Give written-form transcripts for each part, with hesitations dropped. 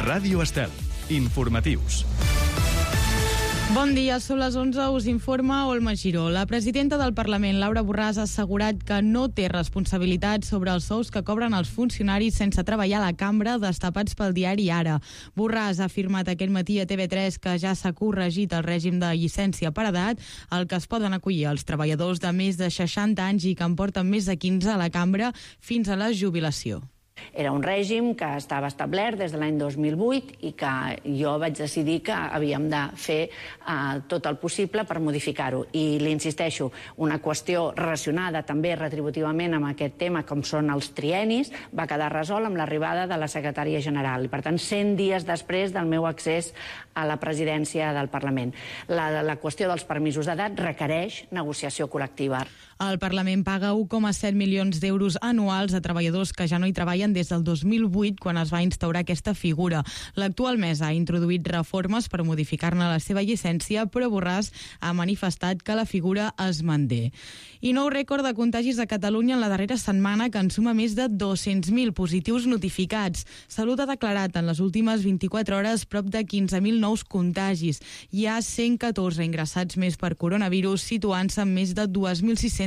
Ràdio Estel. Informatius. Bon dia, són les 11, us informa Olma Giró. La presidenta del Parlament, Laura Borràs, ha assegurat que no té responsabilitat sobre els sous que cobren els funcionaris sense treballar a la cambra, destapats pel diari Ara. Borràs ha afirmat aquest matí a TV3 que ja s'ha corregit el règim de llicència per edat, al que es poden acollir els treballadors de més de 60 anys i que en porten més de 15 a la cambra fins a la jubilació. Era un règim que estava establert des de l'any 2008 i que jo vaig decidir que havíem de fer tot el possible per modificar-ho. I li insisteixo, una qüestió relacionada també retributivament amb aquest tema, com són els triennis, va quedar resolt amb l'arribada de la secretària general. I, per tant, 100 dies després del meu accés a la presidència del Parlament. La qüestió dels permisos d'edat requereix negociació col·lectiva. El Parlament paga 1,7 milions d'euros anuals a treballadors que ja no hi treballen des del 2008, quan es va instaurar aquesta figura. L'actual mesa ha introduït reformes per modificar-ne la seva llicència, però Borràs ha manifestat que la figura es manté. I nou rècord de contagis a Catalunya en la darrera setmana, que en suma més de 200.000 positius notificats. Salut ha declarat en les últimes 24 hores prop de 15.000 nous contagis. Hi ha 114 ingressats més per coronavirus, situant-se en més de 2.600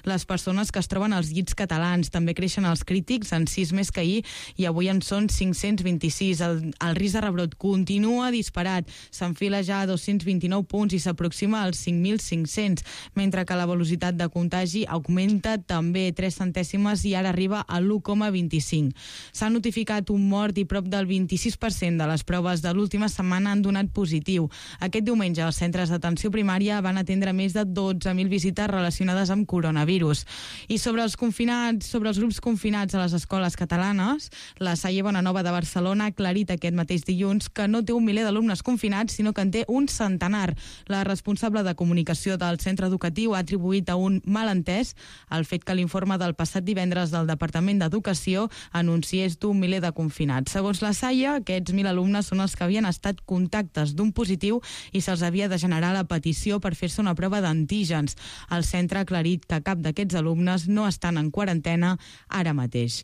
les persones que es troben als llits catalans. També creixen els crítics, en 6 més que ahir, i avui en són 526. El risc de rebrot continua disparat. S'enfila ja a 229 punts i s'aproxima als 5.500, mentre que la velocitat de contagi augmenta també 3 centèsimes i ara arriba a l'1,25. S'ha notificat un mort i prop del 26% de les proves de l'última setmana han donat positiu. Aquest diumenge els centres d'atenció primària van atendre més de 12.000 visites relacionades amb coronavirus. I sobre els grups confinats a les escoles catalanes, la Salle Bonanova de Barcelona ha aclarit aquest mateix dilluns que no té un miler d'alumnes confinats, sinó que en té un centenar. La responsable de comunicació del centre educatiu ha atribuït a un malentès el fet que l'informe del passat divendres del Departament d'Educació anunciés d'un miler de confinats. Segons la Salle, aquests 1.000 alumnes són els que havien estat contactes d'un positiu i se'ls havia de generar la petició per fer-se una prova d'antígens. El centre ha aclarit que cap d'aquests alumnes no estan en quarantena ara mateix.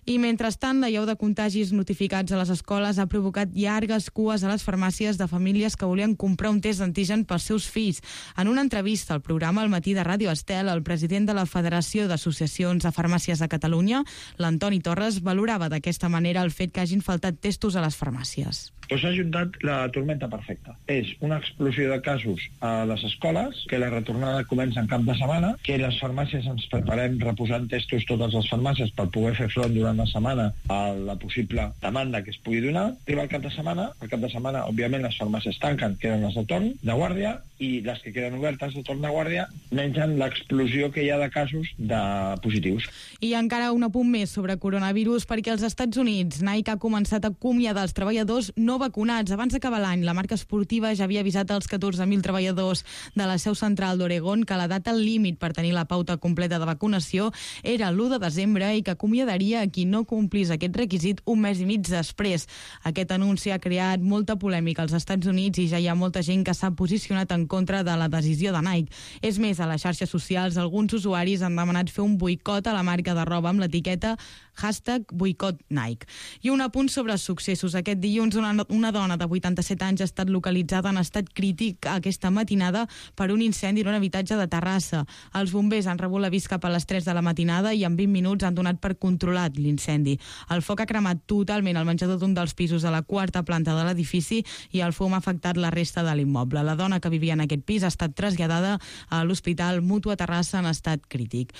I mentrestant, l'allau de contagis notificats a les escoles ha provocat llargues cues a les farmàcies de famílies que volien comprar un test d'antigen pels seus fills. En una entrevista al programa Al matí de Ràdio Estel, el president de la Federació d'Associacions de Farmàcies de Catalunya, l'Antoni Torres, valorava d'aquesta manera el fet que hagin faltat testos a les farmàcies. Doncs s'ha juntat la tormenta perfecta. És una explosió de casos a les escoles, que la retornada comença en cap de setmana, que les farmàcies ens preparem reposant testos totes les farmàcies per poder fer front durant la setmana a la possible demanda que es pugui donar. Arriba el cap de setmana, òbviament, les farmàcies tanquen, queden les de torn de guàrdia, i les que queden obertes de torn de guàrdia mengen l'explosió que hi ha de casos de positius. I encara un apunt més sobre coronavirus, perquè als Estats Units Nike ha començat a acomiadar els treballadors no vacunats. Abans d'acabar l'any, la marca esportiva ja havia avisat als 14.000 treballadors de la seu central d'Oregon que la data límit per tenir la pauta completa de vacunació era l'1 de desembre i que acomiadaria a qui no complís aquest requisit un mes i mig després. Aquest anunci ha creat molta polèmica als Estats Units i ja hi ha molta gent que s'ha posicionat en contra de la decisió de Nike. És més, a les xarxes socials alguns usuaris han demanat fer un boicot a la marca de roba amb l'etiqueta #boicotNike. I un apunt sobre successos. Aquest dilluns una dona de 87 anys ha estat localitzada en estat crític aquesta matinada per un incendi en un habitatge de Terrassa. Els bombers han rebut l'avís cap a les 3 de la matinada i en 20 minuts han donat per controlat l'incendi. El foc ha cremat totalment el menjador d'un dels pisos de la 4ª planta de l'edifici i el fum ha afectat la resta de l'immoble. La dona que vivia en aquest pis ha estat traslladada a l'Hospital Mutu a Terrassa en estat crític.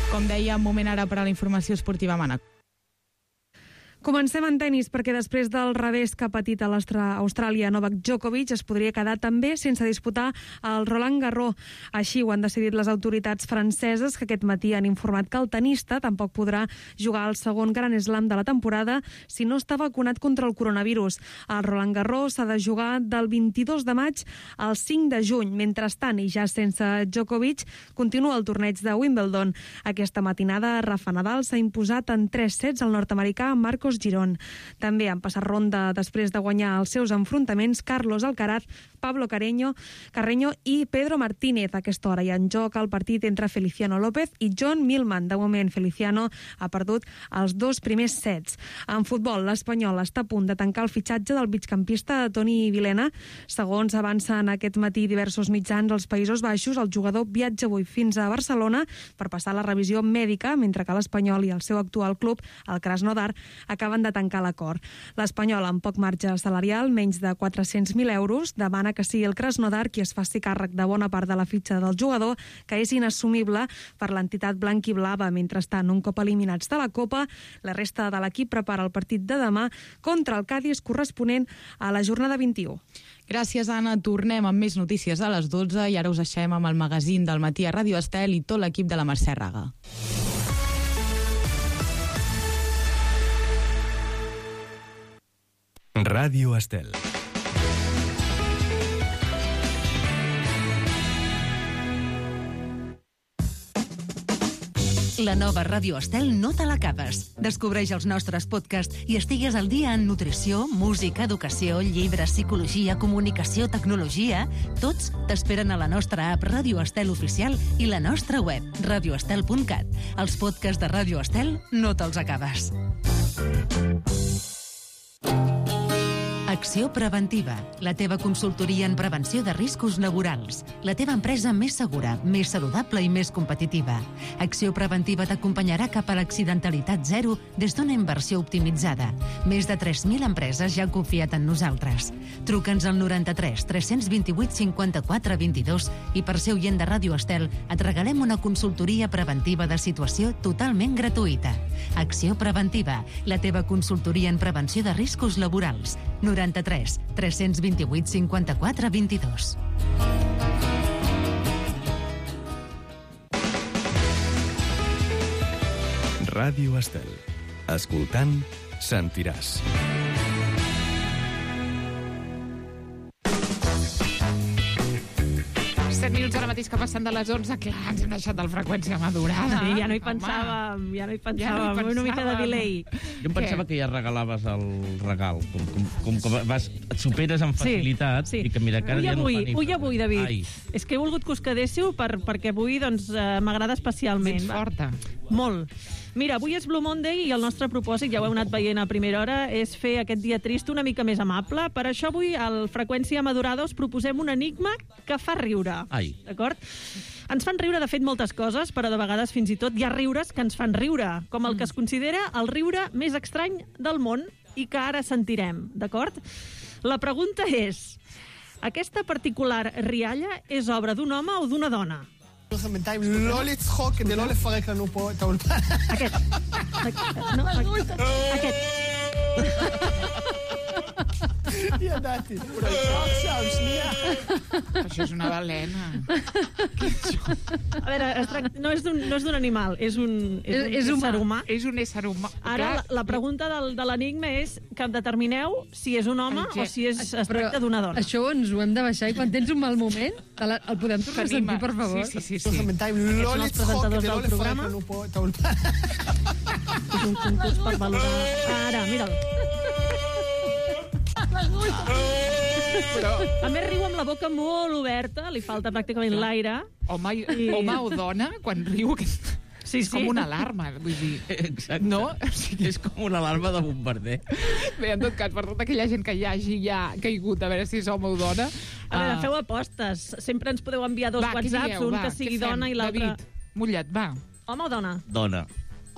Com deia, moment ara per a la informació esportiva, Mana. Comencem en tenis, perquè després del revés que ha patit a l'Austràlia, Novak Djokovic es podria quedar també sense disputar el Roland Garros. Així ho han decidit les autoritats franceses, que aquest matí han informat que el tenista tampoc podrà jugar al segon Grand Slam de la temporada si no està vacunat contra el coronavirus. El Roland Garros s'ha de jugar del 22 de maig al 5 de juny. Mentrestant, i ja sense Djokovic, continua el torneig de Wimbledon. Aquesta matinada, Rafa Nadal s'ha imposat en 3 sets al nord-americà Marcos Marcos Girón. També han passat ronda després de guanyar els seus enfrontaments Carlos Alcaraz, Pablo Carreño i Pedro Martínez. A aquesta hora hi ha en joc el partit entre Feliciano López i John Millman. De moment, Feliciano ha perdut els 2 primers sets. En futbol, l'Espanyol està a punt de tancar el fitxatge del migcampista Toni Vilena. Segons avancen aquest matí diversos mitjans als Països Baixos, el jugador viatja avui fins a Barcelona per passar la revisió mèdica, mentre que l'Espanyol i el seu actual club, el Krasnodar, acaben de tancar l'acord. L'Espanyol, amb poc marge salarial, menys de 400.000 euros, demana que sigui el Krasnodar qui es faci càrrec de bona part de la fitxa del jugador, que és inassumible per l'entitat blanc-i-blava. Mentrestant, un cop eliminats de la Copa, la resta de l'equip prepara el partit de demà contra el Cádiz corresponent a la jornada 21. Gràcies, Anna. Tornem amb més notícies a les 12 i ara us deixem amb el magazín del matí a Ràdio Estel i tot l'equip de la Mercè Raga. Ràdio Estel. La nova Ràdio Estel no te l'acabes. Descobreix els nostres podcasts i estigues al dia en nutrició, música, educació, llibres, psicologia, comunicació, tecnologia. Tots t'esperen a la nostra app Ràdio Estel Oficial i la nostra web, radioestel.cat. Els podcasts de Ràdio Estel no te'ls acabes. Acció Preventiva, la teva consultoria en prevenció de riscos laborals. La teva empresa més segura, més saludable i més competitiva. Acció Preventiva t'acompanyarà cap a l'accidentalitat zero des d'una inversió optimitzada. Més de 3.000 empreses ja han confiat en nosaltres. Truca'ns al 93 328 54 22 i per ser oient de Ràdio Estel et regalem una consultoria preventiva de situació totalment gratuïta. Acció Preventiva, la teva consultoria en prevenció de riscos laborals. 93 328 54 22. Ràdio Estel. Escoltant, sentiràs. Minuts ara mateix que passen de les 11, clar, ens hem deixat del freqüència madurada. Sí, ja no hi pensàvem, una mica de delay. Jo em pensava que ja regalaves el regal, com que et superes amb facilitat, sí. I que mira, que ara ja no fa ni... Ui, avui, David. És que he volgut que us quedéssiu perquè avui m'agrada especialment. Ets forta. Molt. Mira, avui és Blue Monday i el nostre propòsit, ja ho heu anat veient a primera hora, és fer aquest dia trist una mica més amable. Per això avui, al Freqüència Madurada, us proposem un enigma que fa riure. Ai. D'acord? Ens fan riure, de fet, moltes coses, però de vegades fins i tot hi ha riures que ens fan riure, com el que es considera el riure més estrany del món i que ara sentirem, d'acord? La pregunta és, aquesta particular rialla és obra d'un home o d'una dona? לא לצחוק כדי לא לפרק לנו פה את האולפן. aquest. ידעתי. עכשיו, שנייה. Això és una balena. A veure, no és d'un animal, és un ésser humà. És un ésser humà. Ara, la pregunta de l'enigma és que determineu si és un home o si es tracta d'una dona. Això ens ho hem de baixar i quan tens un mal moment el podem tornar a sentir, per favor? Sí. לא לצחוק כדי לא לפרק לנו פה את האולפן. És un concurs per valorar. Ara, mira'l. Però... A més, riu amb la boca molt oberta, li falta pràcticament l'aire. Home o dona, quan riu... Sí. És com una alarma, vull dir... Exacte. No? És com una alarma de bombarder. Bé, en tot cas, per tota aquella gent que hi hagi ja caigut, a veure si és home o dona... A veure, feu apostes. Sempre ens podeu enviar dos whatsapps, un que sigui dona i l'altre... David, mullat, va. Home o dona? Dona.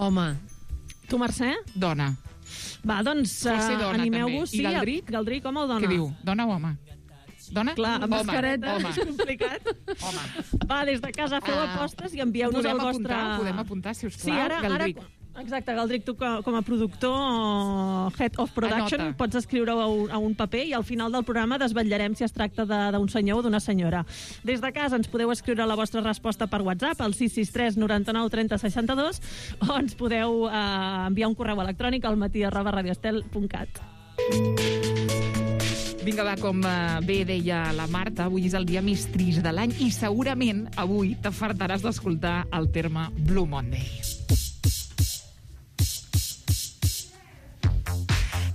Home. Tu, Mercè? Dona. Va, doncs animeu-vos. I Galdric? Galdric, home o dona? Què diu? Dona o home? Dona? Clar, amb mascareta home. és complicat. Home. Va, des de casa feu apostes i envieu-nos el vostre... Podem apuntar, si us plau, sí, ara, Galdric. Exacte, Galdric, tu com a productor, Head of Production, Anota. pots escriure-ho a un paper i al final del programa desvetllarem si es tracta d'un senyor o d'una senyora. Des de casa ens podeu escriure la vostra resposta per WhatsApp al 663 99 30 62 o ens podeu enviar un correu electrònic al matí@radioestel.cat. Vinga, va, com bé deia la Marta, avui és el dia més trist de l'any i segurament avui t'afartaràs d'escoltar el terme Blue Monday.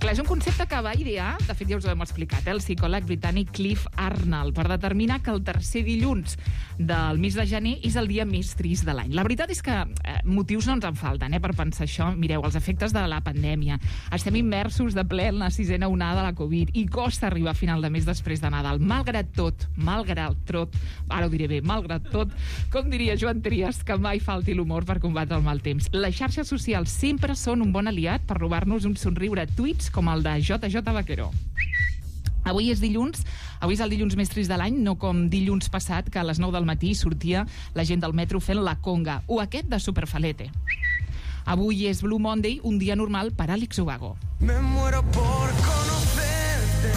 Clar, és un concepte que va idear, de fet ja us ho hem explicat, el psicòleg britànic Cliff Arnold, per determinar que el tercer dilluns del mes de gener és el dia més trist de l'any. La veritat és que motius no ens en falten per pensar això. Mireu, els efectes de la pandèmia. Estem immersos de ple en la 6a onada de la Covid i costa arribar a final de mes després de Nadal. Malgrat tot, ara ho diré bé, malgrat tot, com diria Joan Trias, que mai falti l'humor per combatre el mal temps. Les xarxes socials sempre són un bon aliat per robar-nos un somriure a tuits com el de JJ Vaquero. Avui és el dilluns més trist de l'any, no com dilluns passat, que a les 9 del matí sortia la gent del metro fent la conga, o aquest de Superfalete. Avui és Blue Monday, un dia normal per Àlex Ubago. Me muero por conocerte,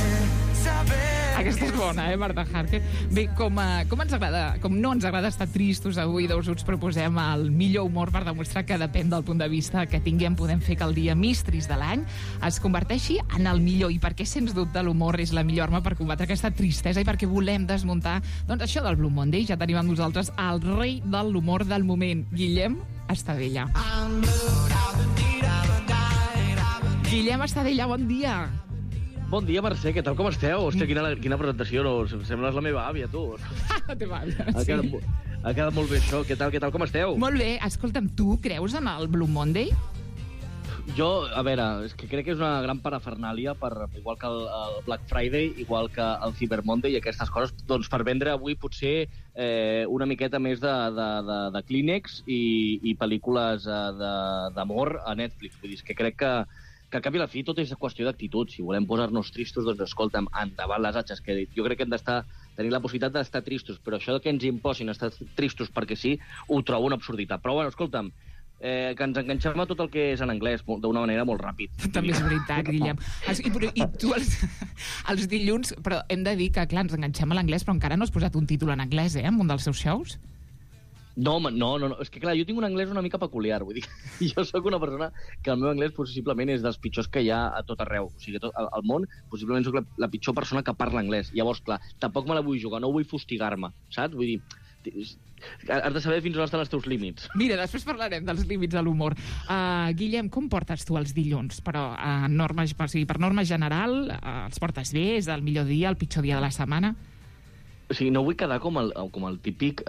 saber... Aquesta és bona, Marta Harker? Bé, com no ens agrada estar tristos avui, doncs us proposem el millor humor per demostrar que depèn del punt de vista que tinguem, podem fer que el dia més trist de l'any es converteixi en el millor, i perquè sens dubte l'humor és la millor arma per combatre aquesta tristesa i perquè volem desmuntar doncs això del Blue Monday. Ja tenim amb nosaltres el rei de l'humor del moment, Guillem Estadella. Guillem Estadella, bon dia. Bon dia, Mercè, què tal, com esteu? Hòstia, quina presentació, no? Sembles la meva àvia, tu. La teva àvia, sí. Ha quedat molt bé això. Què tal, com esteu? Molt bé. Escolta'm, tu creus en el Blue Monday? Jo, a veure, és que crec que és una gran parafernàlia, igual que el Black Friday, igual que el Cyber Monday i aquestes coses, doncs per vendre avui potser una miqueta més de Kleenex i pel·lícules d'amor a Netflix. Vull dir, és que crec que al cap i a la fi tot és qüestió d'actitud. Si volem posar-nos tristos, doncs escolta'm, endavant les atxes, que jo crec que hem tenir la possibilitat d'estar tristos, però això que ens imposin estar tristos perquè sí, ho trobo una absurditat. Però bueno, escolta'm, que ens enganxem a tot el que és en anglès d'una manera molt ràpid. També és veritat, Guillem. I tu els dilluns, però hem de dir que, clar, ens enganxem a l'anglès, però encara no has posat un títol en anglès, en un dels seus shows? No, és que clar, jo tinc un anglès una mica peculiar, vull dir, jo sóc una persona que el meu anglès possiblement és dels pitjors que hi ha a tot arreu, o sigui, al món possiblement sóc la pitjor persona que parla anglès. Llavors, clar, tampoc me la vull jugar, no vull fustigar-me, saps? Vull dir, has de saber fins on estan els teus límits. Mira, després parlarem dels límits de l'humor. Guillem, com portes tu els dilluns? Però per norma general, els portes bé? És el millor dia, el pitjor dia de la setmana? O sigui, no vull quedar com el típic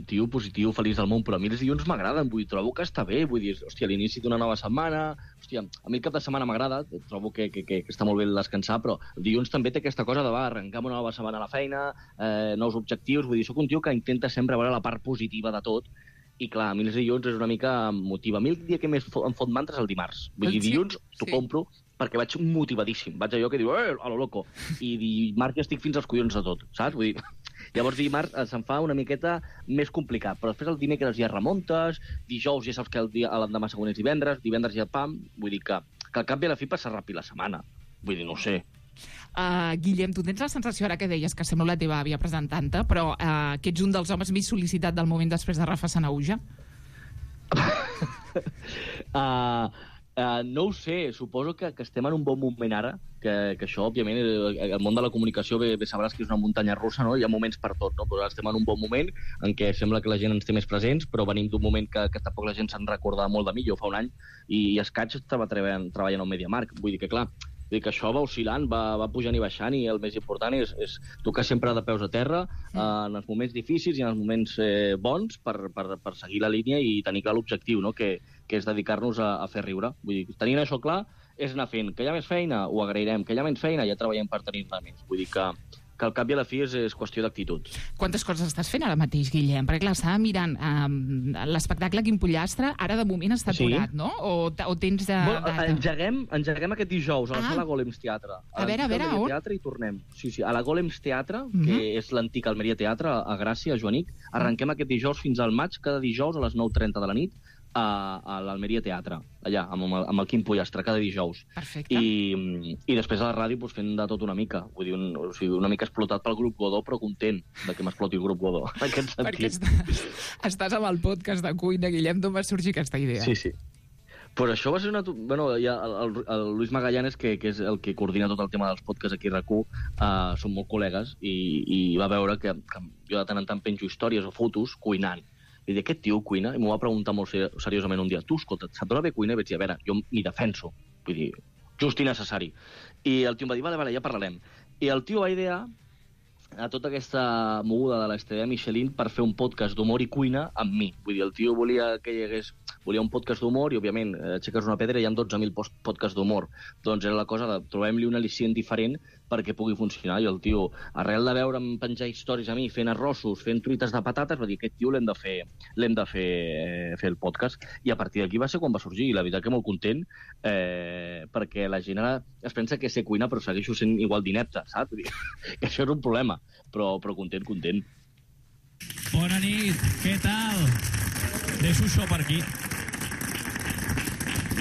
tio positiu, feliç del món, però a mi els dilluns m'agraden, trobo que està bé, vull dir, hòstia, l'inici d'una nova setmana, hòstia, a mi el cap de setmana m'agrada, trobo que està molt bé descansar, però el dilluns també té aquesta cosa de arrencar una nova setmana a la feina, nous objectius, vull dir, soc un tio que intenta sempre veure la part positiva de tot, i clar, a mi els dilluns és una mica motiva. A mi el dia que més em fot mantra és el dimarts. Vull dir, dilluns t'ho compro perquè vaig motivadíssim. Vaig allò que diu, a lo loco. I dimarts ja estic fins als collons de tot, saps? Vull dir, llavors dimarts se'm fa una miqueta més complicat, però després el dimecres ja remuntes, dijous ja saps que l'endemà següent és divendres ja pam, vull dir que al cap i a la fi passa ràpid la setmana. Vull dir, no ho sé. Guillem, tu tens la sensació, ara que deies que sembla la teva àvia presentant-te, però que ets un dels homes més sol·licitat del moment després de Rafa Sanauja? No ho sé, suposo que estem en un bon moment ara, que això, òbviament, el món de la comunicació bé sabràs que és una muntanya russa, no? Hi ha moments per tot, no? Però estem en un bon moment en què sembla que la gent ens té més presents, però venim d'un moment que tampoc la gent se'n recordava molt de mi. Jo fa un any i escaig estava treballant al MediaMarkt. Vull dir que, clar, que això va oscil·lant, va pujant i baixant, i el més important és tocar sempre de peus a terra en els moments difícils i en els moments bons per seguir la línia i tenir clar l'objectiu, no? Que és dedicar-nos a fer riure. Vull dir, tenint això clar és anar fent. Que hi ha més feina, ho agrairem. Que hi ha menys feina, ja treballem per tenir-ne més. Vull dir que al cap i a la fi és qüestió d'actitud. Quantes coses estàs fent ara mateix, Guillem? Perquè, clar, estava mirant l'espectacle Quim Pollastre, ara de moment està aturat, no? O tens data? Engeguem aquest dijous a la sala Golems Teatre. A veure, on? Teatre i tornem. Sí, a la Golems Teatre, que és l'antic Almeria Teatre, a Gràcia, a Joanic. Arrenquem aquest dijous fins al maig, cada dijous a les 9:30 de la nit, a l'Almeria Teatre, allà, amb el Quim Pollastre, cada dijous. Perfecte. I després a la ràdio fent de tot una mica. Vull dir, una mica explotat pel grup Godó, però content de que m'exploti el grup Godó. En aquest sentit. Perquè estàs amb el podcast de cuina, Guillem, d'on va sorgir aquesta idea? Sí. Però això va ser una... Bueno, el Luis Magallanes, que és el que coordina tot el tema dels podcasts aquí a RAC1, són molt col·legues, i va veure que jo de tant en tant penjo històries o fotos cuinant. I dir, aquest tio cuina, i m'ho va preguntar molt seriosament un dia, tu, escolta, et sap bé cuina? I vaig dir, a veure, jo m'hi defenso. Vull dir, just i necessari. I el tio em va dir, vale, ja parlarem. I el tio va idear a tota aquesta moguda de l'Estrella Michelin per fer un podcast d'humor i cuina amb mi. Vull dir, el tio volia un podcast d'humor i, òbviament, aixeques una pedra i hi ha 12.000 podcasts d'humor. Doncs era la cosa de trobem-li un al·licient diferent perquè pugui funcionar. I el tio, arrel de veure'm penjar històries a mi, fent arrossos, fent truites de patates, va dir, aquest tio l'hem de fer el podcast. I a partir d'aquí va ser quan va sorgir. I la veritat que molt content, perquè la gent ara es pensa que sé cuinar, però segueixo sent igual d'inepte, saps? Que això és un problema. Però content. Bona nit, què tal? Deixo això per aquí.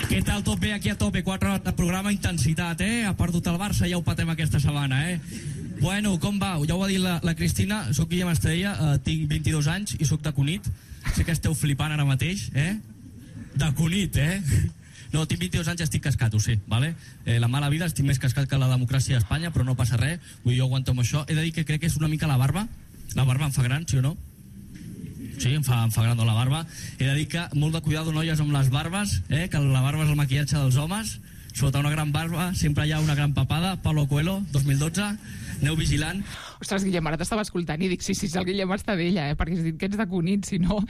Què tal? Tot bé aquí a tope? 4 hores de programa, intensitat, Ha perdut el Barça, ja ho patem aquesta setmana, Bueno, com va? Ja ho ha dit la Cristina, soc Guillem Estrella, tinc 22 anys i soc de Cunit. Sé que esteu flipant ara mateix, De Cunit, No, tinc 22 anys i estic cascat, ho sé, vale? La mala vida, estic més cascat que la democràcia a Espanya, però no passa res, vull dir, jo aguanto amb això. He de dir que crec que és una mica la barba. La barba em fa gran, sí o no? Sí, em fa gran la barba. He de dir que molt de cuidado, noies, amb les barbes, que la barba és el maquillatge dels homes. Sota una gran barba sempre hi ha una gran papada. Paulo Coelho, 2012. Aneu vigilant. Ostres, Guillem, ara t'estava escoltant i dic, sí, el Guillem està d'ella, perquè has dit que ets de Cunit, si no...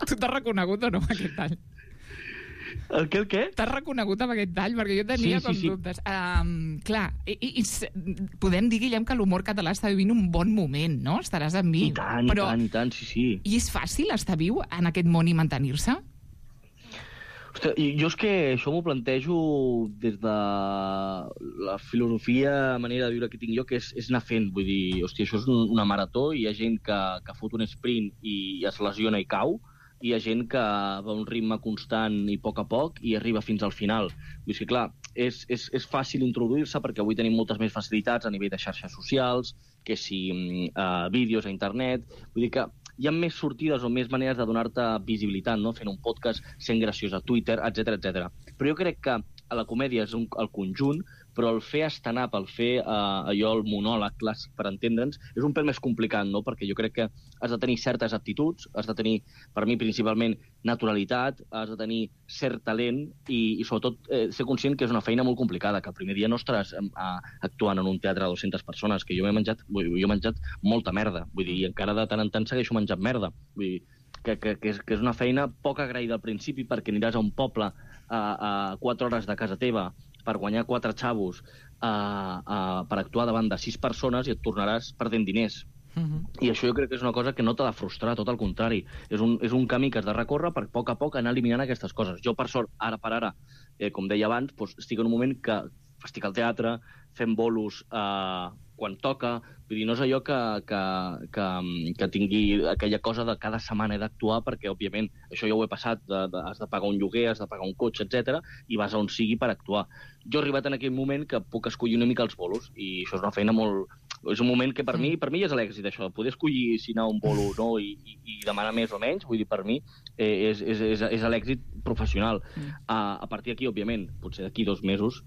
Tu t'has reconegut o no, aquest tall? El què? T'has reconegut amb aquest tall? Perquè jo tenia dubtes. Clar, podem dir, Guillem, que l'humor català està vivint un bon moment, no? Estaràs amb mi. I tant, sí. I és fàcil estar viu en aquest món i mantenir-se? Ostres, jo és que això m'ho plantejo des de la filosofia, manera de viure que tinc jo, que és anar fent. Vull dir, hòstia, això és una marató, i hi ha gent que fot un sprint i es lesiona i cau, i hi ha gent que va a un ritme constant i a poc i arriba fins al final. Vull dir que, clar, és fàcil introduir-se perquè avui tenim moltes més facilitats a nivell de xarxes socials, que si vídeos a internet. Vull dir que hi ha més sortides o més maneres de donar-te visibilitat, no? Fent un podcast, sent graciós a Twitter, etc. Però jo crec que a la comèdia és el conjunt, però el fer stand-up, el fer allò, el monòleg clàssic, per entendre'ns, és un pèl més complicat, no? Perquè jo crec que has de tenir certes aptituds, has de tenir, per mi, principalment, naturalitat, has de tenir cert talent i sobretot, ser conscient que és una feina molt complicada, que el primer dia no estaràs actuant en un teatre de 200 persones, que jo he menjat molta merda, vull dir, i encara de tant en tant segueixo menjant merda. Vull dir, que és una feina poc agraïda al principi, perquè aniràs a un poble a 4 hores de casa teva per guanyar 4 xavos per actuar davant de 6 persones i et tornaràs perdent diners. I això jo crec que és una cosa que no t'ha de frustrar, tot al contrari. És un camí que has de recórrer per a poc anar eliminant aquestes coses. Jo, per sort, ara per ara, com deia abans, estic en un moment que estic al teatre, fent bolos quan toca. Vull dir, no és allò que tingui aquella cosa de cada setmana he d'actuar, perquè, òbviament, això ja ho he passat, has de pagar un lloguer, has de pagar un cotxe, etc, i vas a on sigui per actuar. Jo he arribat en aquell moment que puc escollir una mica els bolos, i això és una feina molt... És un moment que per mi ja és l'èxit, això, poder escollir si anar a un bolo o no i demanar més o menys, vull dir, per mi és l'èxit professional. A partir d'aquí, òbviament, potser d'aquí 2 mesos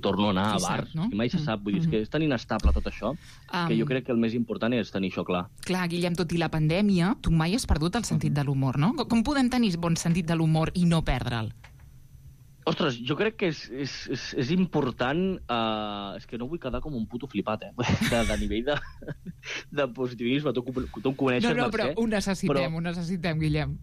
torno a anar a bars, i mai se sap, vull dir, que és tan inestable tot això, que jo crec que el més important és tenir això clar. Clar, Guillem, tot i la pandèmia, tu mai has perdut el sentit de l'humor, no? Com podem tenir bon sentit de l'humor i no perdre'l? Ostres, jo crec que és important... És que no vull quedar com un puto flipat, de nivell de positivisme. Tu em coneixes, No, però ho necessitem, Guillem.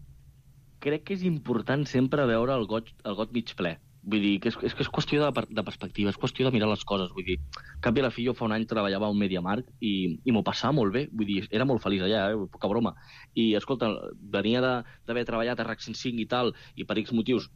Crec que és important sempre veure el got mig ple. Vull dir, que és qüestió de perspectiva, és qüestió de mirar les coses. Vull dir, cap i a la fi, jo fa un any treballava a un MediaMarkt i m'ho passava molt bé. Vull dir, era molt feliç allà, poca broma. I, escolta, venia d'haver treballat a RAC 105 i tal, i per X motius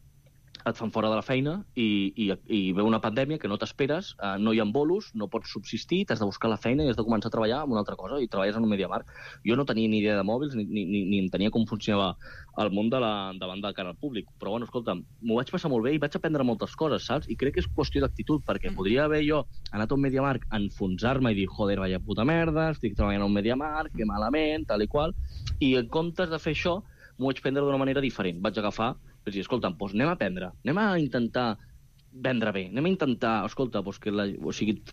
et fan fora de la feina i ve una pandèmia que no t'esperes, no hi ha bolos, no pots subsistir, t'has de buscar la feina i has de començar a treballar en una altra cosa, i treballes en un MediaMarkt. Jo no tenia ni idea de mòbils ni entenia com funcionava el món davant de cara al públic, però bueno, escolta, m'ho vaig passar molt bé i vaig aprendre moltes coses, saps? I crec que és qüestió d'actitud, perquè podria haver jo anat a un MediaMarkt, enfonsar-me i dir, joder, vaya puta merda, estic treballant a un MediaMarkt, que malament, tal i qual, i en comptes de fer això, m'ho vaig prendre d'una manera diferent. Vaig agafar, vaig dir, escolta, doncs anem a aprendre, anem a intentar vendre bé, anem a intentar, escolta, doncs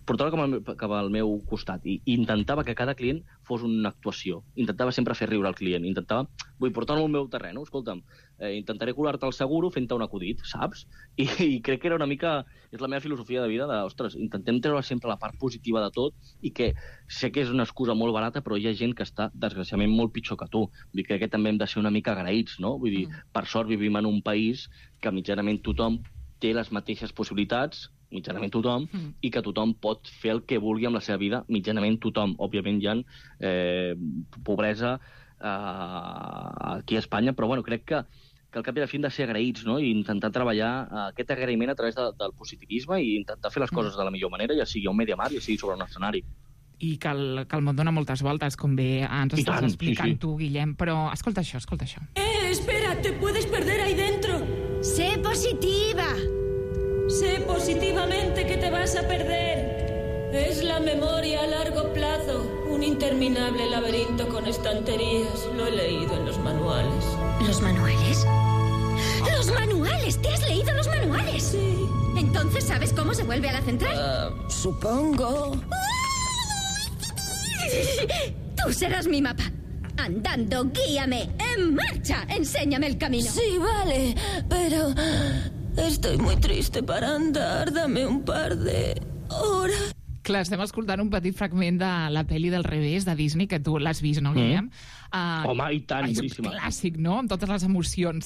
portar-ho cap al meu costat, i intentava que cada client fos una actuació, intentava sempre fer riure al client, vull portar-lo al meu terreny, escolta'm, intentaré colar-te el seguro fent-te un acudit, saps? I crec que era una mica, és la meva filosofia de vida, intentem treure sempre la part positiva de tot, i que sé que és una excusa molt barata, però hi ha gent que està, desgraciadament, molt pitjor que tu. Vull dir, crec que també hem de ser una mica agraïts, no? Vull dir, per sort vivim en un país que mitjanament tothom té les mateixes possibilitats, mitjanament tothom, i que tothom pot fer el que vulgui amb la seva vida, mitjanament tothom. Òbviament hi ha pobresa aquí a Espanya, però bueno, crec que al cap i a la fi hem de ser agraïts, no? I intentar treballar aquest agraïment a través del positivisme i intentar fer les coses de la millor manera, ja sigui a un Mediamar, ja sigui sobre un escenari. I que el món dona moltes voltes, com bé ens estàs explicant tu, Guillem, però escolta això. Espera, te puedes perder ahí dentro. Sé positiva. Sé positivamente que te vas a perder. Es la memoria a largo plazo, un interminable laberinto con estanterías. Lo he leído en los manuales. ¿Los manuales? ¡Los manuales! ¿Te has leído los manuales? Sí. ¿Entonces sabes cómo se vuelve a la central? Supongo. Tú serás mi mapa. Andando, guíame. ¡En marcha! Enséñame el camino. Sí, vale, pero estoy muy triste para andar. Dame un par de horas. Clar, estem escoltant un petit fragment de la pel·li del revés de Disney, que tu l'has vist, no, Guillem? Home, i tant, boníssima. És un clàssic, no?, amb totes les emocions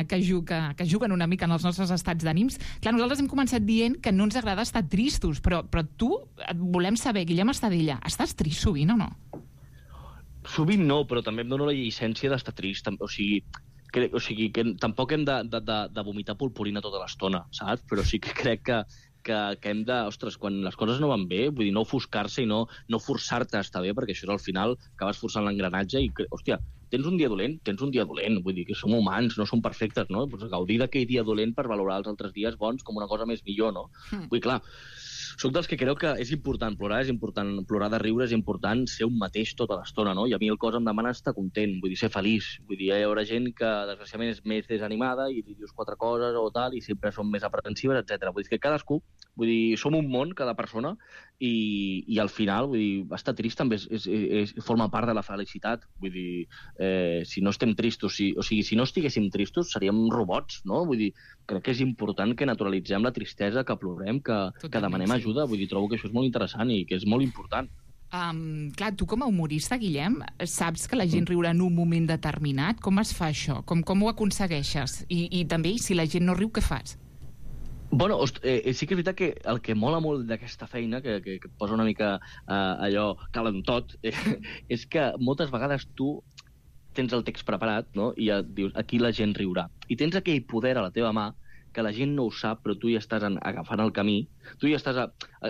que juguen una mica en els nostres estats d'ànims. Clar, nosaltres hem començat dient que no ens agrada estar tristos, però tu, volem saber, Guillem Estadella, estàs trist sovint o no? Sovint no, però també em dono la llicència d'estar trist. O sigui, que tampoc hem de vomitar purpurina tota l'estona, saps? Però sí que crec que hem de... Ostres, quan les coses no van bé, vull dir, no ofuscar-se i no forçar-te a estar bé, perquè això és al final acabes forçant l'engranatge i, hòstia, tens un dia dolent, vull dir que som humans, no som perfectes, no? Pues gaudir d'aquell dia dolent per valorar els altres dies bons com una cosa més millor, no? Vull dir, clar, soc dels que creu que és important plorar de riure, és important ser un mateix tota l'estona, no? I a mi el cos em demana estar content, vull dir, ser feliç. Vull dir, hi haurà gent que, desgraciadament, és més desanimada i li dius 4 coses o tal, i sempre són més aprensives, etc. Vull dir que cadascú, vull dir, som un món, cada persona, i al final, vull dir, estar trist també forma part de la felicitat. Vull dir, si no estem tristos, o sigui, si no estiguéssim tristos, seríem robots, no? Vull dir, crec que és important que naturalitzem la tristesa, que plorem, que demanem ajuda. Vull dir, trobo que això és molt interessant i que és molt important. Clar, tu com a humorista, Guillem, saps que la gent riurà en un moment determinat? Com es fa això? Com ho aconsegueixes? I també, si la gent no riu, què fas? Bueno, sí que és veritat que el que mola molt d'aquesta feina, que et posa una mica allò calentot, és que moltes vegades tu tens el text preparat, no? I ja dius, aquí la gent riurà. I tens aquell poder a la teva mà que la gent no ho sap, però tu ja estàs agafant el camí. Tu ja estàs...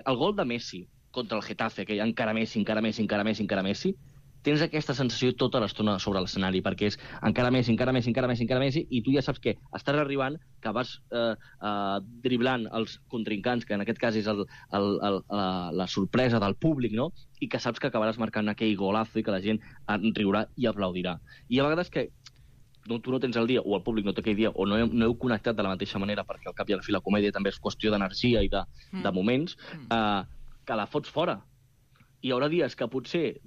El gol de Messi contra el Getafe, que hi ha encara Messi, tens aquesta sensació tota l'estona sobre l'escenari, perquè és encara Messi, i tu ja saps que estàs arribant, que vas driblant els contrincants, que en aquest cas és la sorpresa del públic, no? I que saps que acabaràs marcant aquell golazo i que la gent riurà i aplaudirà. I a vegades que tu no tens el dia, o el públic no té aquell dia, o no heu connectat de la mateixa manera, perquè al cap i a la fi la comèdia també és qüestió d'energia i de moments, que la fots fora. Hi haurà dies que potser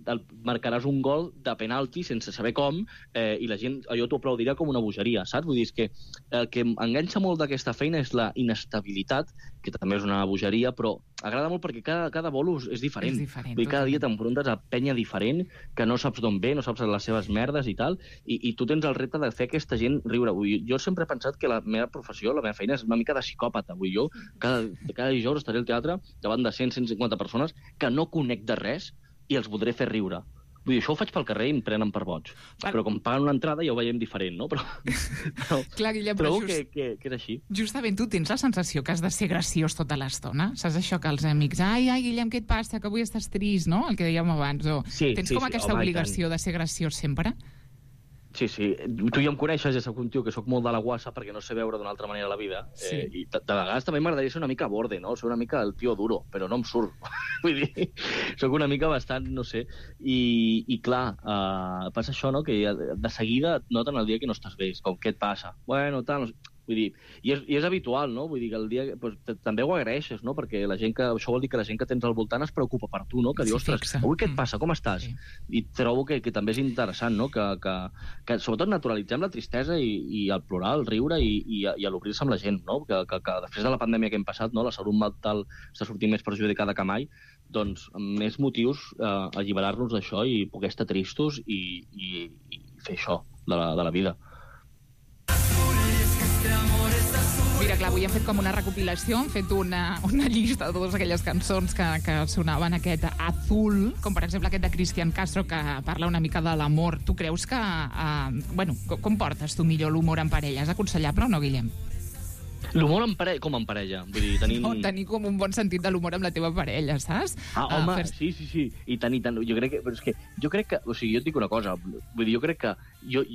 marcaràs un gol de penalti sense saber com, i la gent allò t'ho aplaudirà com una bogeria, saps? Vull dir, és que el que enganxa molt d'aquesta feina és la inestabilitat, que també és una bogeria, però agrada molt perquè cada bolo és diferent. Vull dir, cada dia t'enfrontes a penya diferent, que no saps d'on ve, no saps les seves merdes i tal, i tu tens el repte de fer aquesta gent riure. Vull dir, jo sempre he pensat que la meva professió, la meva feina, és una mica de psicòpata. Vull dir, jo cada dijous estaré al teatre davant de 100-150 persones que no conec de res i els voldré fer riure. Vull dir, això ho faig pel carrer i em prenen per boig. Però com paguen una entrada ja ho veiem diferent, no? Clar, Guillem, però que és així. Justament tu tens la sensació que has de ser graciós tota l'estona? Saps això que els amics, ai, Guillem, què et passa? Que avui estàs trist, no? El que dèiem abans. Tens com aquesta obligació de ser graciós sempre? Sí. Tu ja em coneixes, ja soc un tio que soc molt de la guassa perquè no sé veure d'una altra manera la vida. I de vegades també m'agradaria ser una mica borde, no? Ser una mica el tio duro, però no em surt. Vull dir, soc una mica bastant, no sé. I clar, passa això, no? Que de seguida et noten el dia que no estàs bé. Com, què et passa? Bueno, tal... Vull dir, i és habitual, no? Vull dir que el dia... Pues, també ho agraeixes, no? Perquè la gent que... Això vol dir que la gent que tens al voltant es preocupa per tu, no? Que diu, ostres, avui què et passa? Com estàs? I trobo que també és interessant, no? Que sobretot naturalitzem la tristesa i el plorar, el riure i l'obrir-se amb la gent, no? Que després de la pandèmia que hem passat, no? La salut mental està sortint més perjudicada que mai, doncs amb més motius alliberar-nos d'això i poder estar tristos i fer això de la vida. Mira, clar, avui hem fet com una recopilació, hem fet una llista de totes aquelles cançons que sonaven aquest Azul, com per exemple aquest de Cristian Castro, que parla una mica de l'amor. Tu creus que... com portes tu millor l'humor en parella? És aconsellable o no, Guillem? L'humor com en parella? Vull dir, tenir com un bon sentit de l'humor amb la teva parella, saps? Home, sí. I tant. Jo crec que... O sigui, jo et dic una cosa. Vull dir, jo crec que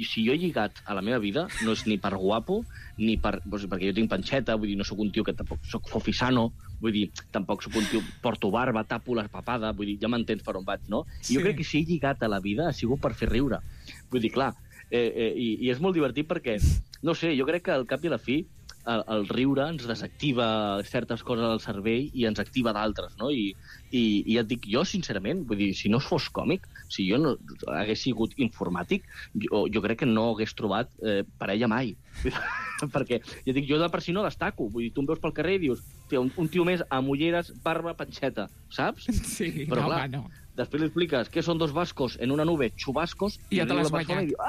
si jo he lligat a la meva vida, no és ni per guapo, ni per... Perquè jo tinc panxeta, vull dir, no sóc un tio que tampoc sóc fofisano, vull dir, tampoc sóc un tio... Porto barba, tapo la papada, vull dir, ja m'entens per on vaig, no? I jo crec que si he lligat a la vida ha sigut per fer riure. Vull dir, clar, i és molt divertit perquè, no sé, jo crec que al cap i a la fi el riure ens desactiva certes coses del cervell i ens activa d'altres, no? I ja et dic, jo, sincerament, vull dir, si no fos còmic, si jo no hagués sigut informàtic, jo crec que no hagués trobat parella mai. Perquè, ja dic, jo de per si no destaco. Vull dir, tu em veus pel carrer i dius, un tio més amb ulleres, barba, panxeta, saps? Sí, però clar, després li expliques què són dos vascos en una nube, xubascos, i ja te l'has guanyat. I diu,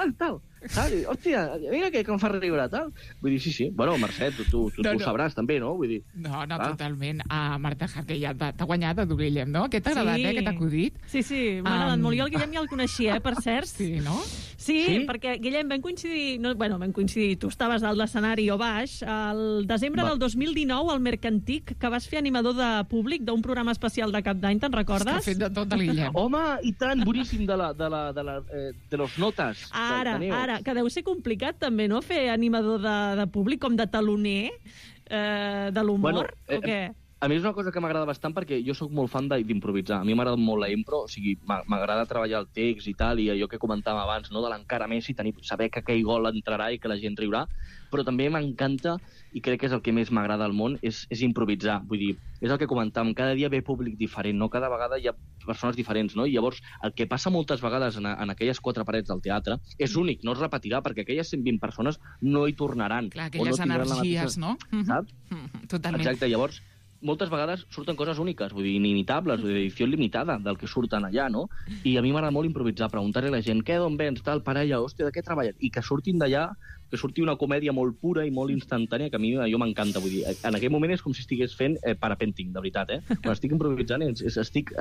tal, hòstia, mira que em fa riure, tal. Vull dir, sí. Bueno, Mercè, tu ho sabràs també, no? Vull dir... No, totalment. Marta Harque ja t'ha guanyat a Guillem, no? Què t'ha agradat, aquest acudit? Sí, m'ha agradat molt. Jo el Guillem ja el coneixia, per cert. Sí, no? Sí, perquè, Guillem, vam coincidir, tu estaves dalt l'escenari o baix, el desembre del 2019, al Mercantic, que vas fer animador de públic d'un programa especial de cap d'any, te'n recordes? És que ha fet de tot el Guillem. Home, i tant, boníssim de los notes. Ara, que deu ser complicat també, no?, fer animador de públic, com de taloner de l'humor, o què? A mi és una cosa que m'agrada bastant perquè jo sóc molt fan d'improvisar. A mi m'agrada molt la impro, o sigui, m'agrada treballar el text i tal, i allò que comentàvem abans, no?, de l'encara més i saber que aquell gol entrarà i que la gent riurà, però també m'encanta, i crec que és el que més m'agrada al món, és improvisar. Vull dir, és el que comentàvem, cada dia ve públic diferent, no? Cada vegada hi ha persones diferents, no? I llavors, el que passa moltes vegades en aquelles 4 parets del teatre és únic, no es repetirà, perquè aquelles 120 persones no hi tornaran. Clar, aquelles energies, no? Saps? Totalment. Exacte, llavors moltes vegades surten coses úniques, vull dir, inimitables, d'edició limitada del que surten allà, no? I a mi m'agrada molt improvisar, preguntar-li a la gent, d'on vens, tal, parella, hòstia, de què treballes? I que surtin d'allà, que surti una comèdia molt pura i molt instantània, que a mi m'encanta, vull dir, en aquell moment és com si estigués fent parapenting, de veritat, Quan estic improvisant, estic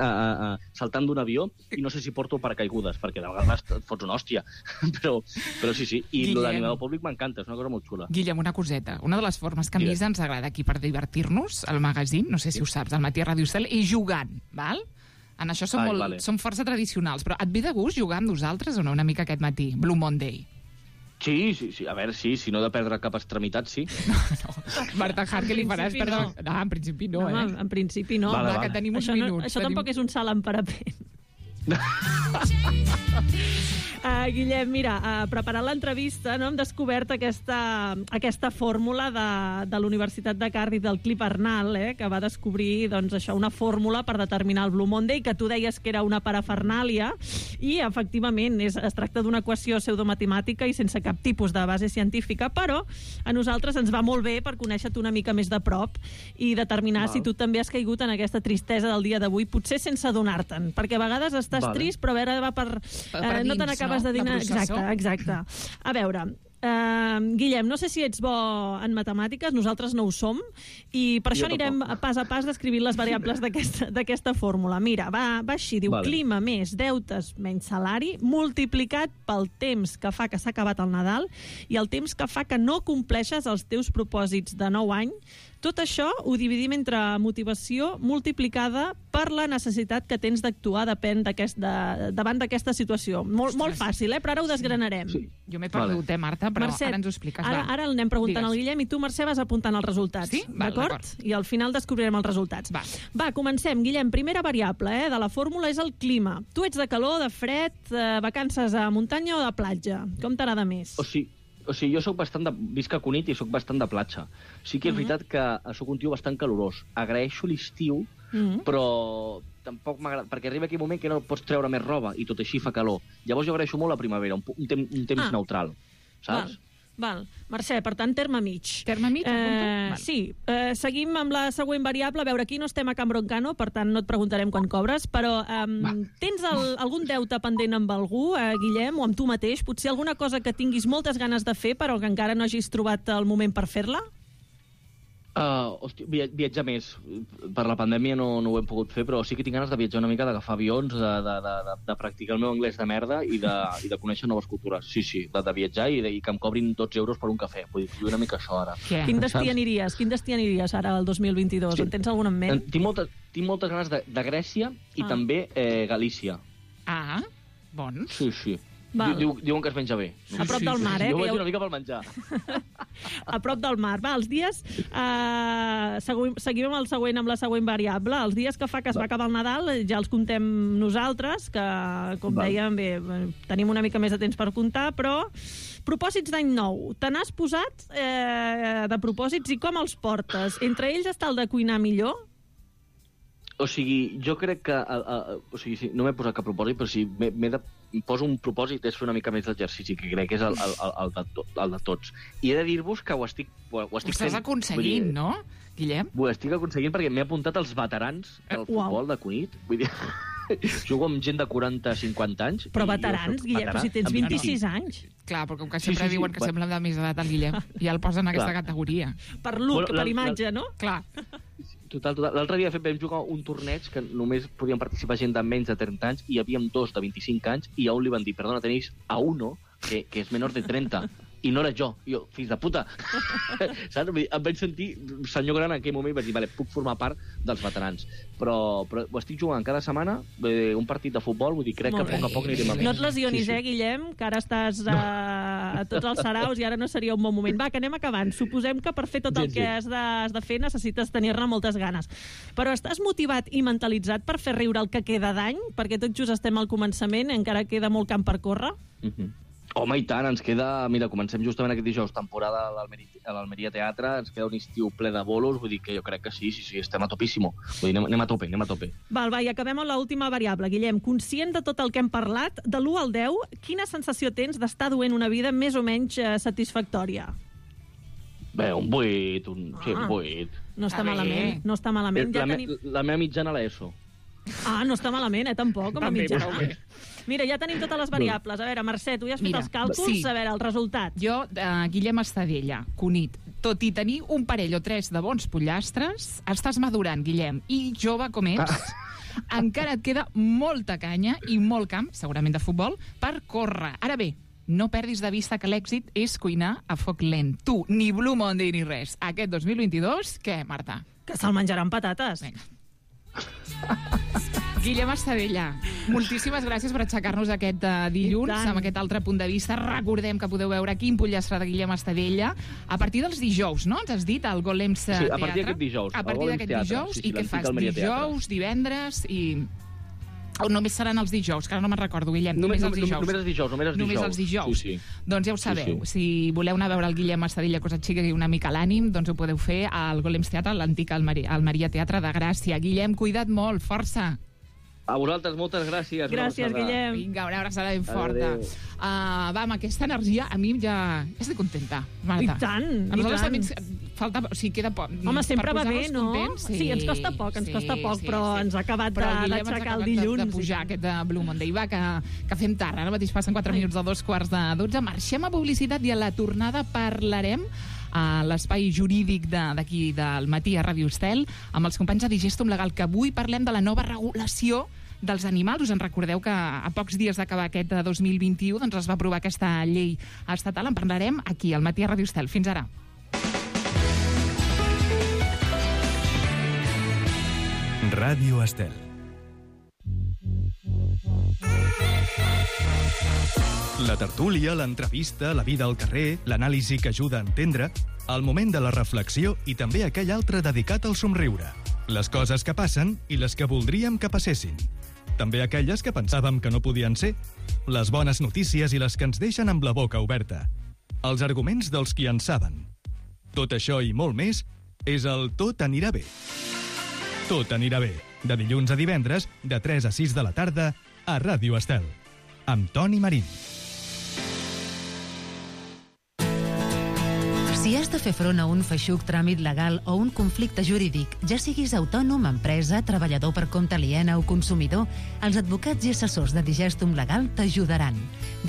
saltant d'un avió i no sé si porto paracaigudes, perquè de vegades et fots una hòstia, però sí, i l'animador públic m'encanta, és una cosa molt xula. Guillem, una coseta, una de les formes que més ens agrada aquí per divertir-nos, al magazín, no sé si ho saps, al Matí a Ràdio Estel, és jugant, val? En això som força tradicionals, però et ve de gust jugar amb nosaltres o no, una mica aquest matí, Blue Monday? Sí, a veure, sí, si no de perdre cap extremitat, sí. No. Marta Harque, li faràs perdre... No, en principi no, En principi no. Vale. Que tenim uns minuts. Això tampoc és un salt en parapent. Guillem, mira, preparant l'entrevista hem descobert aquesta fórmula de la Universitat de Cardiff del Cliff Arnall, que va descobrir una fórmula per determinar el Blue Monday, que tu deies que era una parafernàlia, i efectivament es tracta d'una equació pseudomatemàtica i sense cap tipus de base científica, però a nosaltres ens va molt bé per conèixer-te una mica més de prop i determinar si tu també has caigut en aquesta tristesa del dia d'avui, potser sense adonar-te'n, perquè a vegades estàs trist, però a veure, va per no te n'acabes de dinar. Exacte. A veure, Guillem, no sé si ets bo en matemàtiques, nosaltres no ho som, i per això anirem pas a pas descrivint les variables d'aquesta fórmula. Mira, va així, diu clima més deutes menys salari multiplicat pel temps que fa que s'ha acabat el Nadal i el temps que fa que no compleixes els teus propòsits de nou any. Tot això ho dividim entre motivació multiplicada per la necessitat que tens d'actuar davant d'aquesta situació. Molt fàcil, però ara ho desgranarem. Sí. Jo m'he perdut, Marta, però Mercè, ara ens ho expliques. Ara el anem preguntant al Guillem i tu, Mercè, vas apuntant els resultats. Sí? D'acord? I al final descobrirem els resultats. Va, comencem. Guillem, primera variable de la fórmula és el clima. Tu ets de calor, de fred, vacances a muntanya o de platja? Com t'agrada més? O sigui, O sigui, jo visc a Cunit i soc bastant de platja. Sí que és veritat que soc un tio bastant calorós. Agraeixo l'estiu, però tampoc m'agrada, perquè arriba aquell moment que no pots treure més roba i tot així fa calor. Llavors jo agraeixo molt la primavera, un temps neutral, saps? Val. Mercè, per tant, terme mig. Terme mig? Sí. Seguim amb la següent variable. A veure, aquí no estem a Can Broncano, per tant no et preguntarem quan cobres, però tens algun deute pendent amb algú, Guillem, o amb tu mateix? Potser alguna cosa que tinguis moltes ganes de fer, però que encara no hagis trobat el moment per fer-la? Viatjar més. Per la pandèmia no ho hem pogut fer, però sí que tinc ganes de viatjar una mica, d'agafar avions, de practicar el meu anglès de merda i de conèixer noves cultures. Sí, de viatjar i que em cobrin 12 euros per un cafè. Vull dir, una mica això ara. Quin destí aniries ara al 2022? En tens algun en ment? Tinc moltes ganes de Grècia i també Galícia. Ah, bon. Sí. Diuen que es menja bé. A prop del mar, Jo vaig una mica pel menjar. A prop del mar. Va, els dies... Seguim amb la següent variable. Els dies que fa que es va acabar el Nadal ja els contem nosaltres, que, com dèiem, bé, tenim una mica més de temps per comptar, però propòsits d'any nou. Te n'has posat de propòsits i com els portes? Entre ells està el de cuinar millor? O sigui, jo crec que... no m'he posat cap propòsit, però si poso un propòsit és fer una mica més d'exercici, que crec que és el de tots. I he de dir-vos que ho estic fent. Ho estàs aconseguint, no, Guillem? Ho estic aconseguint perquè m'he apuntat als veterans del futbol de Cunit. Vull dir, jugo amb gent de 40-50 anys. Però veterans, Guillem, però si tens 26 anys. Clar, però com que sempre diuen que sembla de més edat el Guillem, ja el posen en aquesta categoria. Per look, per imatge, no? Clar. Total. L'altre dia vam jugar un torneig que només podien participar gent de menys de 30 anys i hi havia 2 de 25 anys i a un li van dir, perdona, tenéis a uno que és menor de 30. I no era jo. I jo, fills de puta. Saps? Em vaig sentir senyor gran en aquell moment i vaig dir, vale, puc formar part dels veterans. Però ho estic jugant cada setmana, un partit de futbol, vull dir, crec que a poc a poc anirem a més. No et lesionis, Guillem, que ara estàs a tots els saraus i ara no seria un bon moment. Va, que anem acabant. Suposem que per fer tot el que has de fer necessites tenir-ne moltes ganes. Però estàs motivat i mentalitzat per fer riure el que queda d'any? Perquè tot just estem al començament, encara queda molt camp per córrer? Home, i tant, ens queda... Mira, comencem justament aquest dijous, temporada a l'Almeria Teatre, ens queda un estiu ple de bolos, vull dir que jo crec que sí, estem a topíssimo. Vull dir, anem a tope. Val, i acabem amb l'última variable. Guillem, conscient de tot el que hem parlat, de l'1 al 10, quina sensació tens d'estar duent una vida més o menys satisfactòria? Bé, un 8, un 8. No està malament, no està malament. La meva mitjana l'ESO. No està malament, tampoc, com a mitjana. Mira, ja tenim totes les variables. A veure, Mercè, tu ja has fet els càlculs. A veure, el resultat. Jo, Guillem Estadella, Cunit, tot i tenir un parell o 3 de bons pollastres, estàs madurant, Guillem, i jove com ets, encara et queda molta canya i molt camp, segurament de futbol, per córrer. Ara bé, no perdis de vista que l'èxit és cuinar a foc lent. Tu, ni Blue Monday ni res. Aquest 2022, què, Marta? Que se'l menjaran patates. Vinga. Guillem Estadella, moltíssimes gràcies per aixecar-nos aquest dilluns amb aquest altre punt de vista. Recordem que podeu veure quin pollastre de Guillem Estadella a partir dels dijous, no? Ens has dit, al Golems Teatre. Sí, a partir d'aquest dijous. A partir d'aquest dijous, i què fas? Dijous, divendres i... O només seran els dijous, que ara no me'n recordo, Guillem. Només els dijous. Només els dijous. Sí. Doncs ja ho sabeu. Si voleu anar a veure el Guillem Estadella, que us aixequi una mica l'ànim, doncs ho podeu fer al Golems Teatre, l'antic Almeria Teatre de Gràcia. Guillem, cuida't molt, força. A vosaltres, moltes gràcies. Gràcies, Guillem. Vinga, una abraçada ben forta. Va, amb aquesta energia, a mi ja estic contenta, Marta. I tant, a nosaltres també falta... O sigui, queda poc. Home, sempre va bé, no? Sí, ens costa poc, però ens ha acabat d'aixecar el dilluns. De pujar aquest de Blue Monday. Va, que fem tard. Ara mateix passen 4 minuts de 2:45. Marxem a publicitat i a la tornada parlarem a l'espai jurídic d'aquí del matí a Ràdio Estel amb els companys de Digestum Legal, que avui parlem de la nova regulació dels animals. Us en recordeu que a pocs dies d'acabar aquest 2021 doncs es va aprovar aquesta llei estatal. En parlarem aquí al matí a Ràdio Estel. Fins ara. Ràdio Estel. La tertúlia, l'entrevista, la vida al carrer, l'anàlisi que ajuda a entendre, el moment de la reflexió i també aquell altre dedicat al somriure. Les coses que passen i les que voldríem que passessin. També aquelles que pensàvem que no podien ser. Les bones notícies i les que ens deixen amb la boca oberta. els arguments dels qui en saben. Tot això i molt més és el Tot anirà bé. Tot anirà bé, de dilluns a divendres, de 3 a 6 de la tarda, a Ràdio Estel, amb Toni Marín. Si has de fer front a un feixuc tràmit legal o un conflicte jurídic, ja siguis autònom, empresa, treballador per compte aliena o consumidor, els advocats i assessors de Digestum Legal t'ajudaran.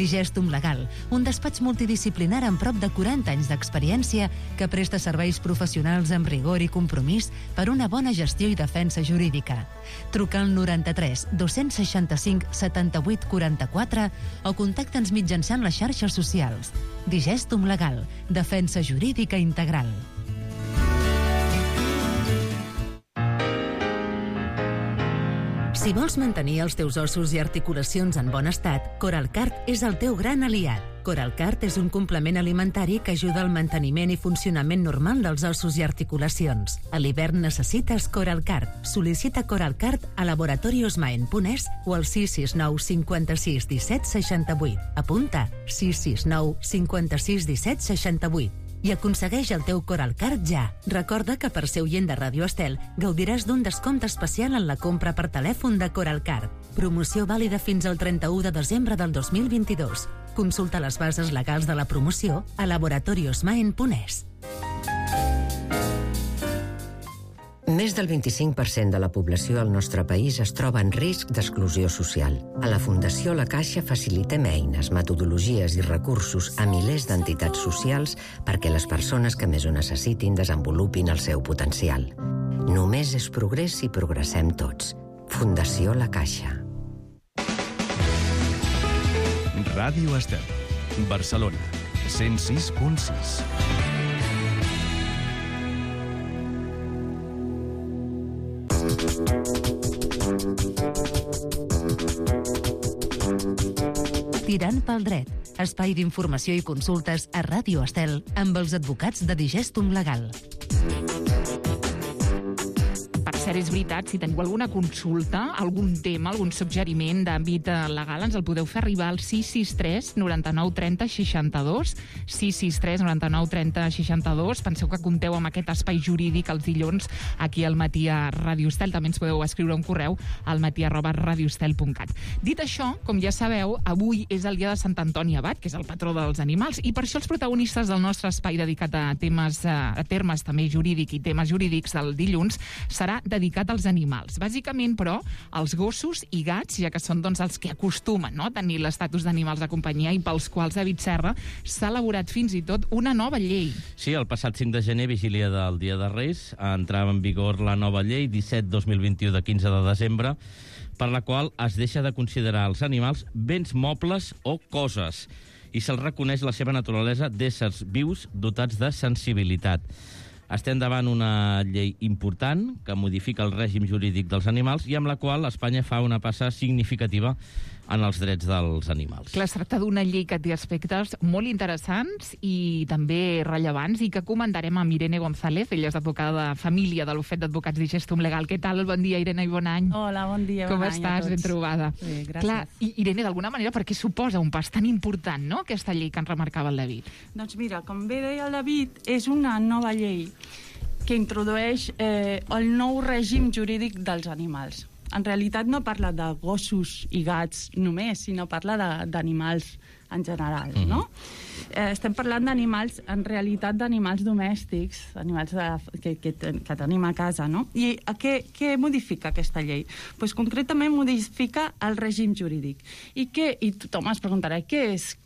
Digestum Legal, un despatx multidisciplinar amb prop de 40 anys d'experiència que presta serveis professionals amb rigor i compromís per una bona gestió i defensa jurídica. Truca al 93 265 78 44 o contacta'ns mitjançant les xarxes socials. Digestum Legal, defensa jurídica integral. Si vols mantenir els teus ossos i articulacions en bon estat, Coralcart és el teu gran aliat. Coralcart és un complement alimentari que ajuda al manteniment i funcionament normal dels ossos i articulacions. A l'hivern necessites Coralcart. Sol·licita Coralcart a laboratoriosmaen.es o al 669 56 17 68. Apunta 669 56 17 68. I aconsegueix el teu Coralcart ja. Recorda que per ser oient de Ràdio Estel gaudiràs d'un descompte especial en la compra per telèfon de Coralcart. Promoció vàlida fins al 31 de desembre del 2022. Consulta les bases legals de la promoció a laboratoriosmaen.es. Més del 25% de la població del nostre país es troba en risc d'exclusió social. A la Fundació La Caixa facilitem eines, metodologies i recursos a milers d'entitats socials perquè les persones que més ho necessitin desenvolupin el seu potencial. Només és progrés si progressem tots. Fundació La Caixa. Ràdio Estel, Barcelona, 106.6. Tirant pel dret, espai d'informació i consultes a Ràdio Estel amb els advocats de Digestum Legal. Per cert, és veritat, si teniu alguna consulta, algun tema, algun suggeriment d'àmbit legal, ens el podeu fer arribar al 663 99 30 62, 663 99 30 62. Penseu que compteu amb aquest espai jurídic els dilluns aquí al matí a Ràdio Estel. També ens podeu escriure un correu al matí@radioestel.cat. Dit això, com ja sabeu, avui és el dia de Sant Antoni Abat, que és el patró dels animals, i per això els protagonistes del nostre espai dedicat a termes també jurídic i temes jurídics del dilluns serà dedicat als animals. Bàsicament, però, als gossos i gats, ja que són els que acostumen a tenir l'estatus d'animals de companyia i pels quals David Serra s'ha elaborat fins i tot una nova llei. Sí, el passat 5 de gener, vigília del Dia de Reis, entrava en vigor la nova llei 17/2021 de 15 de desembre, per la qual es deixa de considerar els animals béns mobles o coses i se'ls reconeix la seva naturalesa d'éssers vius dotats de sensibilitat. Estem davant una llei important que modifica el règim jurídic dels animals i amb la qual Espanya fa una passa significativa en els drets dels animals. Clar, es tracta d'una llei que té aspectes molt interessants i també rellevants i que comentarem amb Irene González. Ella és advocada de família de l'Ofet d'Advocats Digestum Legal. Què tal? Bon dia, Irene, i bon any. Hola, bon dia, Com bon any estàs? a tots. Ben trobada. Bé, gràcies. Clar, Irene, d'alguna manera, per què suposa un pas tan important, no?, aquesta llei que ens remarcava el David? Doncs mira, com bé deia el David, és una nova llei que introdueix el nou règim jurídic dels animals. En realitat no parla de gossos i gats només, sinó parla d'animals en general, no? Estem parlant d'animals, en realitat d'animals domèstics, animals que tenim a casa, no? I què modifica aquesta llei? Doncs concretament modifica el règim jurídic. I tothom es preguntarà, què és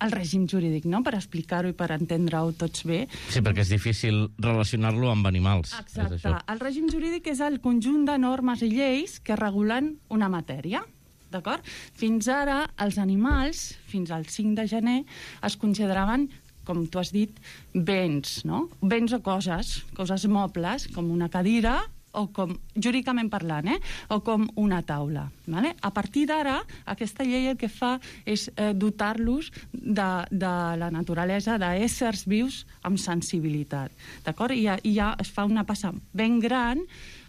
el règim jurídic, no?, per explicar-ho i per entendre-ho tots bé. Sí, perquè és difícil relacionar-lo amb animals. Exacte. El règim jurídic és el conjunt de normes i lleis que regulen una matèria, d'acord? Fins ara, els animals, fins al 5 de gener, es consideraven, com tu has dit, béns, no? Béns o coses mobles, com una cadira, o com, jurídicament parlant, o com una taula. Vale? A partir d'ara, aquesta llei el que fa és dotar-los de la naturalesa d'éssers vius amb sensibilitat. D'acord? I ja es fa una passa ben gran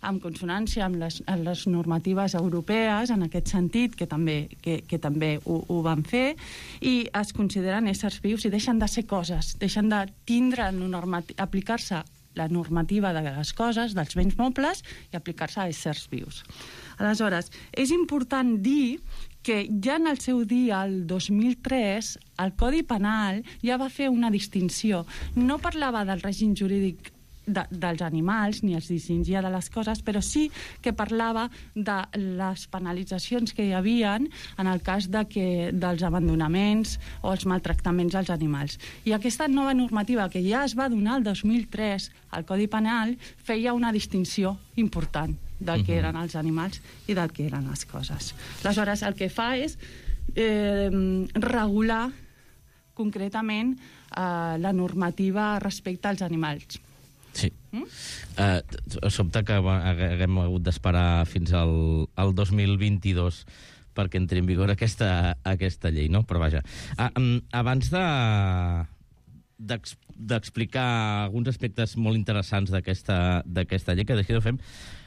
en consonància amb les normatives europees, en aquest sentit, que també ho van fer, i es consideren éssers vius i deixen de ser coses, deixen de tindre aplicar-se la normativa de les coses, dels béns mobles, i aplicar-se a éssers vius. Aleshores, és important dir que ja en el seu dia, el 2003, el Codi Penal ja va fer una distinció. No parlava del règim jurídic dels animals, ni els distingia de les coses, però sí que parlava de les penalitzacions que hi havia en el cas dels abandonaments o els maltractaments als animals. I aquesta nova normativa que ja es va donar el 2003 al Codi Penal feia una distinció important del que eren els animals i del que eren les coses. Aleshores, el que fa és regular concretament la normativa respecte als animals. Sí. Sobte que haguem hagut d'esperar fins al 2022 perquè entri en vigor aquesta llei, no? Però vaja. Abans d'explicar alguns aspectes molt interessants d'aquesta llei, que després ho fem,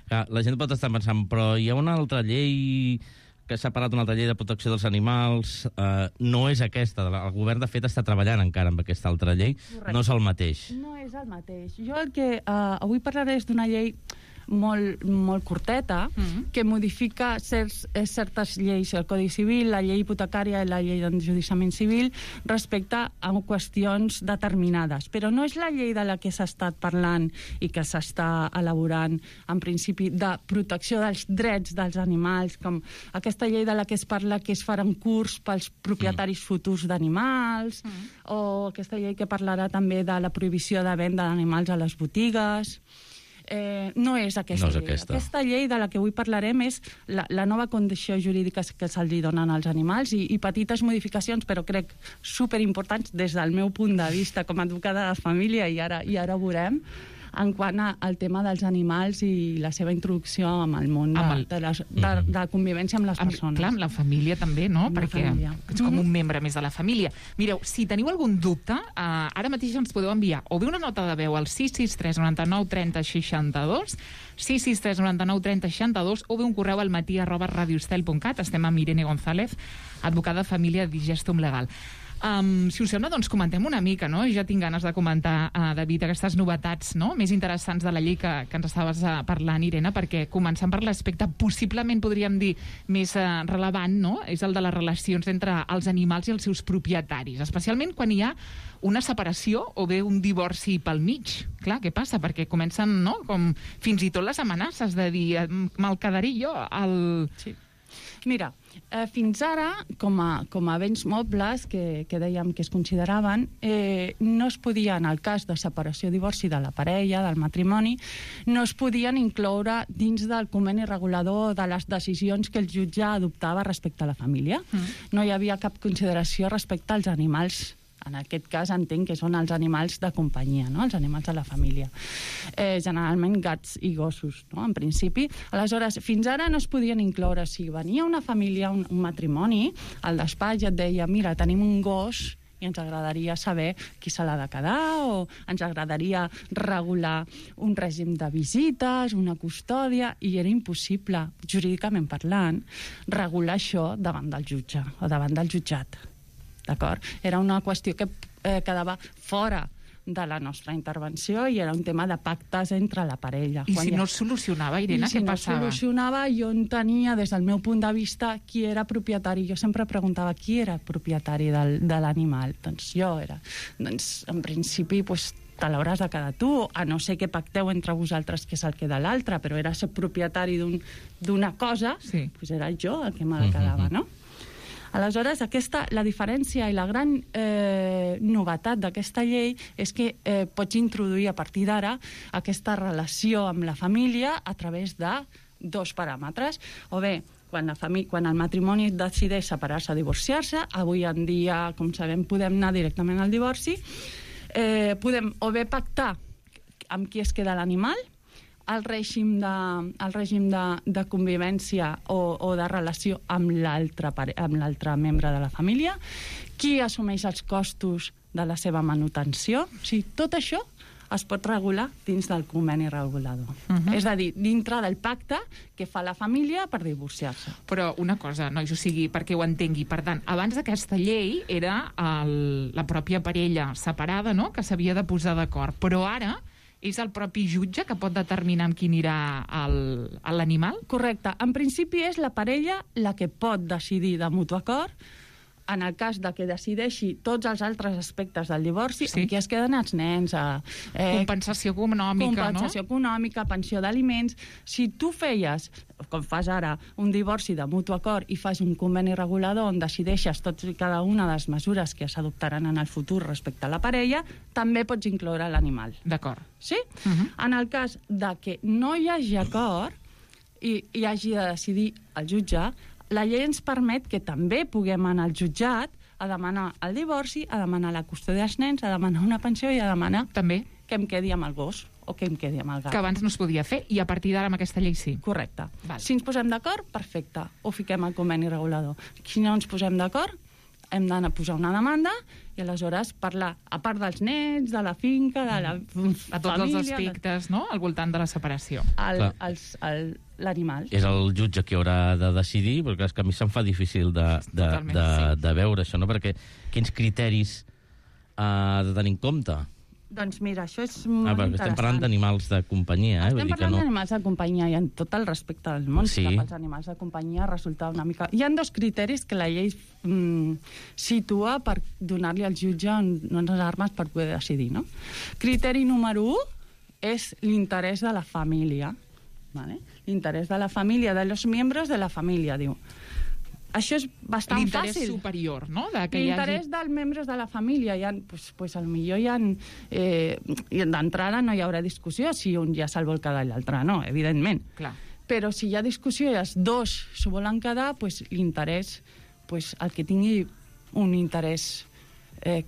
la gent pot estar pensant, però hi ha una altra llei que s'ha parlat, una altra llei de protecció dels animals, no és aquesta. El govern, de fet, està treballant encara amb aquesta altra llei. Correcte. No és el mateix. No és el mateix. Jo el que avui parlaré és d'una llei molt curteta, que modifica certes lleis, el Codi Civil, la llei hipotecària i la llei d'enjudiciament civil, respecte a qüestions determinades. Però no és la llei de la que s'ha estat parlant i que s'està elaborant, en principi, de protecció dels drets dels animals, com aquesta llei de la que es parla que es farà un curs pels propietaris futurs d'animals, o aquesta llei que parlarà també de la prohibició de venda d'animals a les botigues. No és aquesta llei. Aquesta llei de la que avui parlarem és la nova condició jurídica que se'ls donen als animals i petites modificacions, però crec superimportants des del meu punt de vista com a advocada de família, i ara ho veurem, en quant al tema dels animals i la seva introducció amb el món de la convivència amb les persones. Clar, amb la família també, no? Perquè ets com un membre més de la família. Mireu, si teniu algun dubte, ara mateix ens podeu enviar o bé una nota de veu al 663 99 30 62, 663 99 30 62, o bé un correu al matí@radioestel.cat. Estem amb Irene González, advocada de família Digestum Legal. Si us sembla, doncs comentem una mica, no? Ja tinc ganes de comentar, David, aquestes novetats, no?, més interessants de la llei que ens estaves parlant, Irene, perquè començant per l'aspecte possiblement, podríem dir, més relevant, no?, és el de les relacions entre els animals i els seus propietaris, especialment quan hi ha una separació o bé un divorci pel mig. Clar, què passa? Perquè comencen, no?, com fins i tot les amenaces de dir me'l quedaré jo al... Sí. Mira, fins ara, com a béns mobles que dèiem que es consideraven, no es podia, en el cas de separació o divorci de la parella, del matrimoni, no es podien incloure dins del conveni regulador de les decisions que el jutge adoptava respecte a la família. No hi havia cap consideració respecte als animals. En aquest cas entenc que són els animals de companyia, no?, els animals de la família. Generalment gats i gossos, no?, en principi. Aleshores, fins ara no es podien incloure. Si venia una família, un matrimoni, al despatx et deia, mira, tenim un gos i ens agradaria saber qui se l'ha de quedar, o ens agradaria regular un règim de visites, una custòdia, i era impossible, jurídicament parlant, regular això davant del jutge o davant del jutjat. D'acord? Era una qüestió que quedava fora de la nostra intervenció i era un tema de pactes entre la parella. I si no es solucionava, Irene, què passava? Si no es solucionava, jo entenia, des del meu punt de vista, qui era propietari. Jo sempre preguntava qui era propietari de l'animal. Doncs jo era. Doncs, en principi, te l'hauràs de quedar tu, a no ser que pacteu entre vosaltres que és el que de l'altre, però era ser propietari d'una cosa, doncs era jo el que me la quedava, no? Aleshores, la diferència i la gran novetat d'aquesta llei és que pots introduir a partir d'ara aquesta relació amb la família a través de dos paràmetres. O bé, quan el matrimoni decideix separar-se o divorciar-se, avui en dia, com sabem, podem anar directament al divorci, podem o bé pactar amb qui es queda l'animal, el règim de convivència o de relació amb l'altre membre de la família, qui assumeix els costos de la seva manutenció. O sigui, tot això es pot regular dins del conveni regulador. És a dir, dintre del pacte que fa la família per divorciar-se. Però una cosa, nois, o sigui, perquè ho entengui, per tant, abans d'aquesta llei era la pròpia parella separada, no?, que s'havia de posar d'acord, però ara és el propi jutge que pot determinar amb qui anirà l'animal? Correcte. En principi és la parella la que pot decidir de mutu acord, en el cas de que decideixi tots els altres aspectes del divorci, en què es queden els nens. Compensació econòmica, compensació econòmica, pensió d'aliments. Si tu feies, com fas ara, un divorci de mutu acord i fas un conveni regulador on decideixes tots i cada una de les mesures que s'adoptaran en el futur respecte a la parella, també pots incloure l'animal. D'acord. Sí? En el cas de que no hi hagi acord i hagi de decidir el jutge, la llei ens permet que també puguem anar al jutjat a demanar el divorci, a demanar la custòdia dels nens, a demanar una pensió i a demanar també que em quedi amb el gos o que em quedi amb el gat. Que abans no es podia fer i a partir d'ara amb aquesta llei sí. Correcte. Si ens posem d'acord, perfecte. Ho fiquem al conveni regulador. Si no ens posem d'acord, hem d'anar a posar una demanda i aleshores parlar, a part dels nens, de la finca, de la família... A tots els aspectes, no?, al voltant de la separació. L'animal. És el jutge qui haurà de decidir, perquè és que a mi se'm fa difícil de veure això, no?, perquè quins criteris ha de tenir en compte? Doncs mira, això és molt interessant. Estem parlant d'animals de companyia, Estem parlant d'animals de companyia i en tot el respecte del món. Sí. Els animals de companyia resulta una mica... Hi ha 2 criteris que la llei situa per donar-li al jutge unes armes per poder decidir, no? Criteri número 1 és l'interès de la família. ¿Vale? L'interès de la família, de los miembros de la família, diu. Això és bastant fàcil. L'interès superior, no? L'interès dels membres de la família. Potser hi ha... d'entrada no hi haurà discussió si un ja se'l vol quedar i l'altre no, evidentment. Clar. Però si hi ha discussió i els dos s'ho volen quedar, l'interès, el que tingui un interès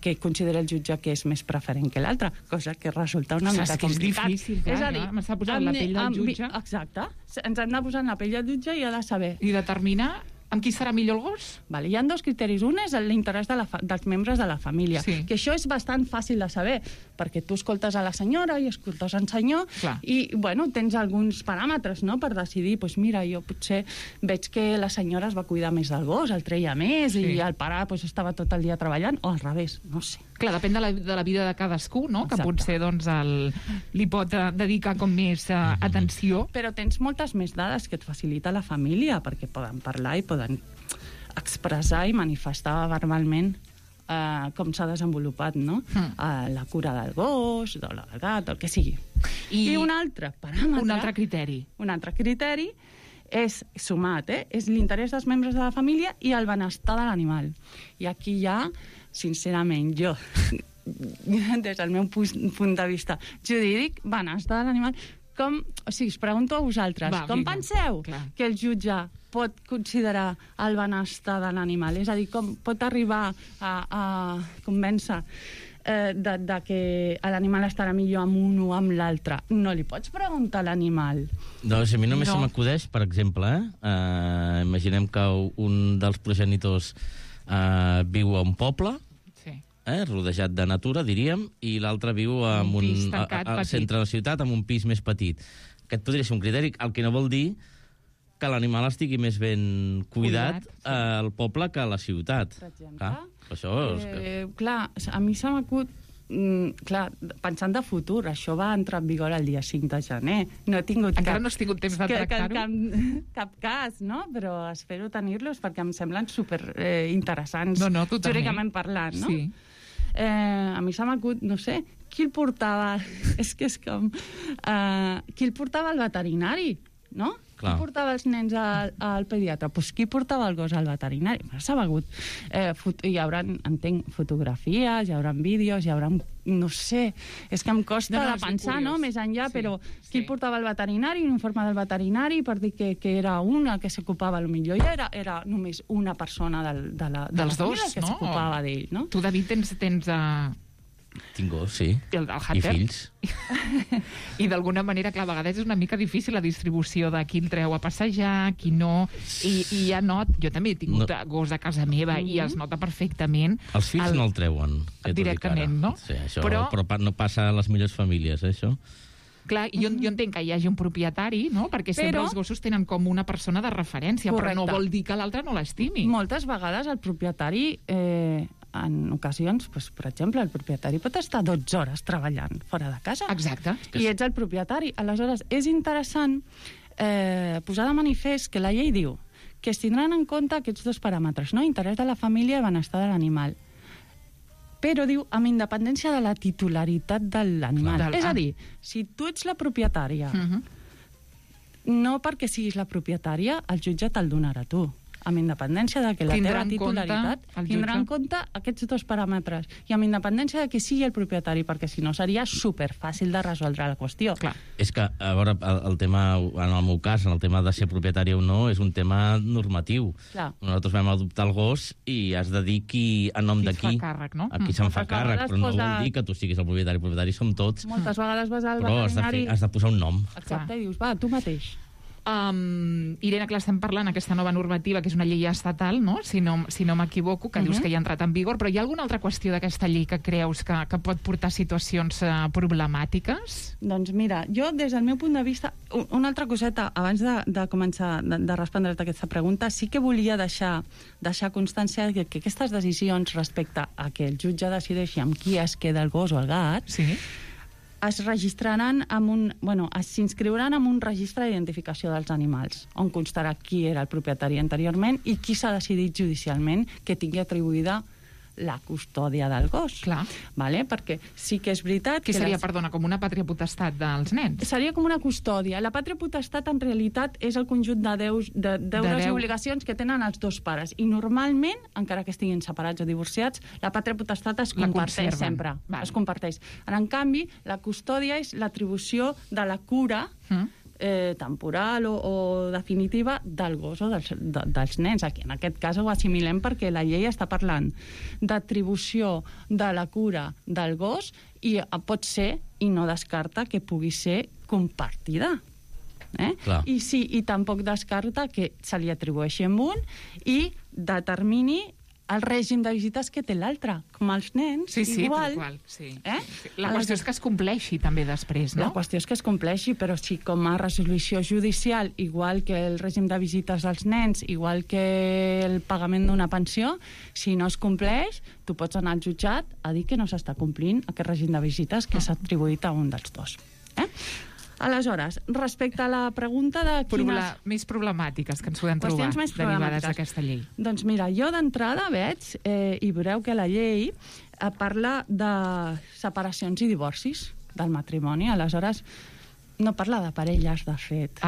que considera el jutge que és més preferent que l'altre, cosa que resulta una mica complicat. És difícil, és a dir, m'està posant la pell del jutge. Exacte. Ens hem de posar en la pell del jutge i ha de saber... I determinar amb qui serà millor el gos? Vale, hi ha 2 criteris. Un és l'interès dels membres de la família, que això és bastant fàcil de saber, perquè tu escoltes a la senyora i escoltes al senyor i, tens alguns paràmetres, no?, per decidir, mira, jo potser veig que la senyora es va cuidar més del gos, el treia més i el pare estava tot el dia treballant, o al revés, no sé. Clar, depèn de la vida de cadascú, no?, que potser li pot dedicar com més atenció. Però tens moltes més dades que et facilita la família, perquè poden parlar i poden expressar i manifestar verbalment com s'ha desenvolupat, no? La cura del gos, del gat, el que sigui. I un altre paràmetre... Un altre criteri. Un altre criteri és sumat, és l'interès dels membres de la família i el benestar de l'animal. I aquí ja, sincerament, jo, des del meu punt de vista jurídic, benestar de l'animal... O sigui, us pregunto a vosaltres, com penseu que el jutge pot considerar el benestar de l'animal? És a dir, com pot arribar a convèncer de que l'animal estarà millor amb un o amb l'altre? No li pots preguntar a l'animal. No, a mi només se m'acudeix, per exemple, imaginem que un dels progenitors viu a un poble, rodejat de natura, diríem, i l'altre viu al centre de la ciutat, amb un pis més petit. Aquest podria ser un criteri, el que no vol dir que l'animal estigui més ben cuidat al poble que a la ciutat. Per exemple. Clar, a mi se m'acut... pensant de futur, això va entrar en vigor el dia 5 de gener. Encara no has tingut temps de tractar-ho? Cap cas, no? Però espero tenir-los perquè em semblen superinteressants, jurídicament parlant, no? Sí. A mi se m'acut, no sé, qui el portava... Qui el portava al veterinari, no? Qui portava els nens al pediatre? Doncs qui portava el gos al veterinari? S'ha begut. Hi haurà, entenc, fotografies, hi haurà vídeos, hi haurà... No sé, és que em costa de pensar, no?, més enllà, però qui portava al veterinari, un informe del veterinari per dir que era una que s'ocupava, potser ja era només una persona de la família que s'ocupava d'ell, no? Tu, David, tens Tinc gos, sí. El Hunter. I fills. I d'alguna manera, clar, a vegades és una mica difícil la distribució de qui el treu a passejar, qui no, i ja jo també he tingut gos a casa meva i es nota perfectament. Els fills no el treuen. Directament, no? Sí, això, però no passa a les millors famílies, això. Clar, jo entenc que hi hagi un propietari, no? Perquè sempre els gossos tenen com una persona de referència, però no vol dir que l'altre no l'estimi. Moltes vegades el propietari, en ocasions, per exemple, el propietari pot estar 12 hores treballant fora de casa. Exacte. I ets el propietari. Aleshores, és interessant posar de manifest que la llei diu que es tindran en compte aquests dos paràmetres, no? Interès de la família i benestar de l'animal. Però diu, amb independència de la titularitat de l'animal. És a dir, si tu ets la propietària, no perquè siguis la propietària, el jutge te'l donarà a tu. Amb independència de que la teva titularitat tindrà en compte aquests dos paràmetres. I amb independència de que sigui el propietari, perquè si no seria superfàcil de resoldre la qüestió. Clar. És que, a veure, el tema, en el meu cas, el tema de ser propietari o no, és un tema normatiu. Clar. Nosaltres vam adoptar el gos i has de dir en nom de qui. Qui se'n fa càrrec, no? A qui se'n fa càrrec, però no vol dir que tu siguis el propietari. El propietari som tots. Moltes vegades vas al veterinari... Però has de posar un nom. Exacte, i dius, va, tu mateix. Irene, clar, estem parlant aquesta nova normativa, que és una llei estatal, no? Si no m'equivoco, que dius que ja ha entrat en vigor, però hi ha alguna altra qüestió d'aquesta llei que creus que pot portar situacions problemàtiques? Doncs mira, jo des del meu punt de vista, una altra coseta, abans de començar de respondre't aquesta pregunta, sí que volia deixar constància que aquestes decisions respecte a que el jutge decideixi amb qui es queda el gos o el gat, es registraran s'inscriuran en un registre d'identificació dels animals, on constarà qui era el propietari anteriorment i qui s'ha decidit judicialment que tingui atribuïda la custòdia del gos. Clar. Vale? Perquè sí que és veritat... Que seria, perdona, com una pàtria potestat dels nens? Seria com una custòdia. La pàtria potestat, en realitat, és el conjunt de deures i obligacions que tenen els dos pares. I normalment, encara que estiguin separats o divorciats, la pàtria potestat es comparteix sempre. Es comparteix. En canvi, la custòdia és l'atribució de la cura temporal o definitiva del gos o dels nens. Aquí, en aquest cas ho assimilem perquè la llei està parlant d'atribució de la cura del gos i pot ser, i no descarta, que pugui ser compartida. I tampoc descarta que se li atribueixi amb un i determini el règim de visites que té l'altre, com els nens, igual. La qüestió és que es compleixi també després, no? La qüestió és que es compleixi, però si com a resolució judicial, igual que el règim de visites dels nens, igual que el pagament d'una pensió, si no es compleix, tu pots anar al jutjat a dir que no s'està complint aquest règim de visites que s'ha atribuït a un dels dos. Aleshores, respecte a la pregunta de quines... Més problemàtiques que ens podem trobar derivades d'aquesta llei. Doncs mira, jo d'entrada veig, i veureu que la llei parla de separacions i divorcis del matrimoni, aleshores no parla de parelles, de fet.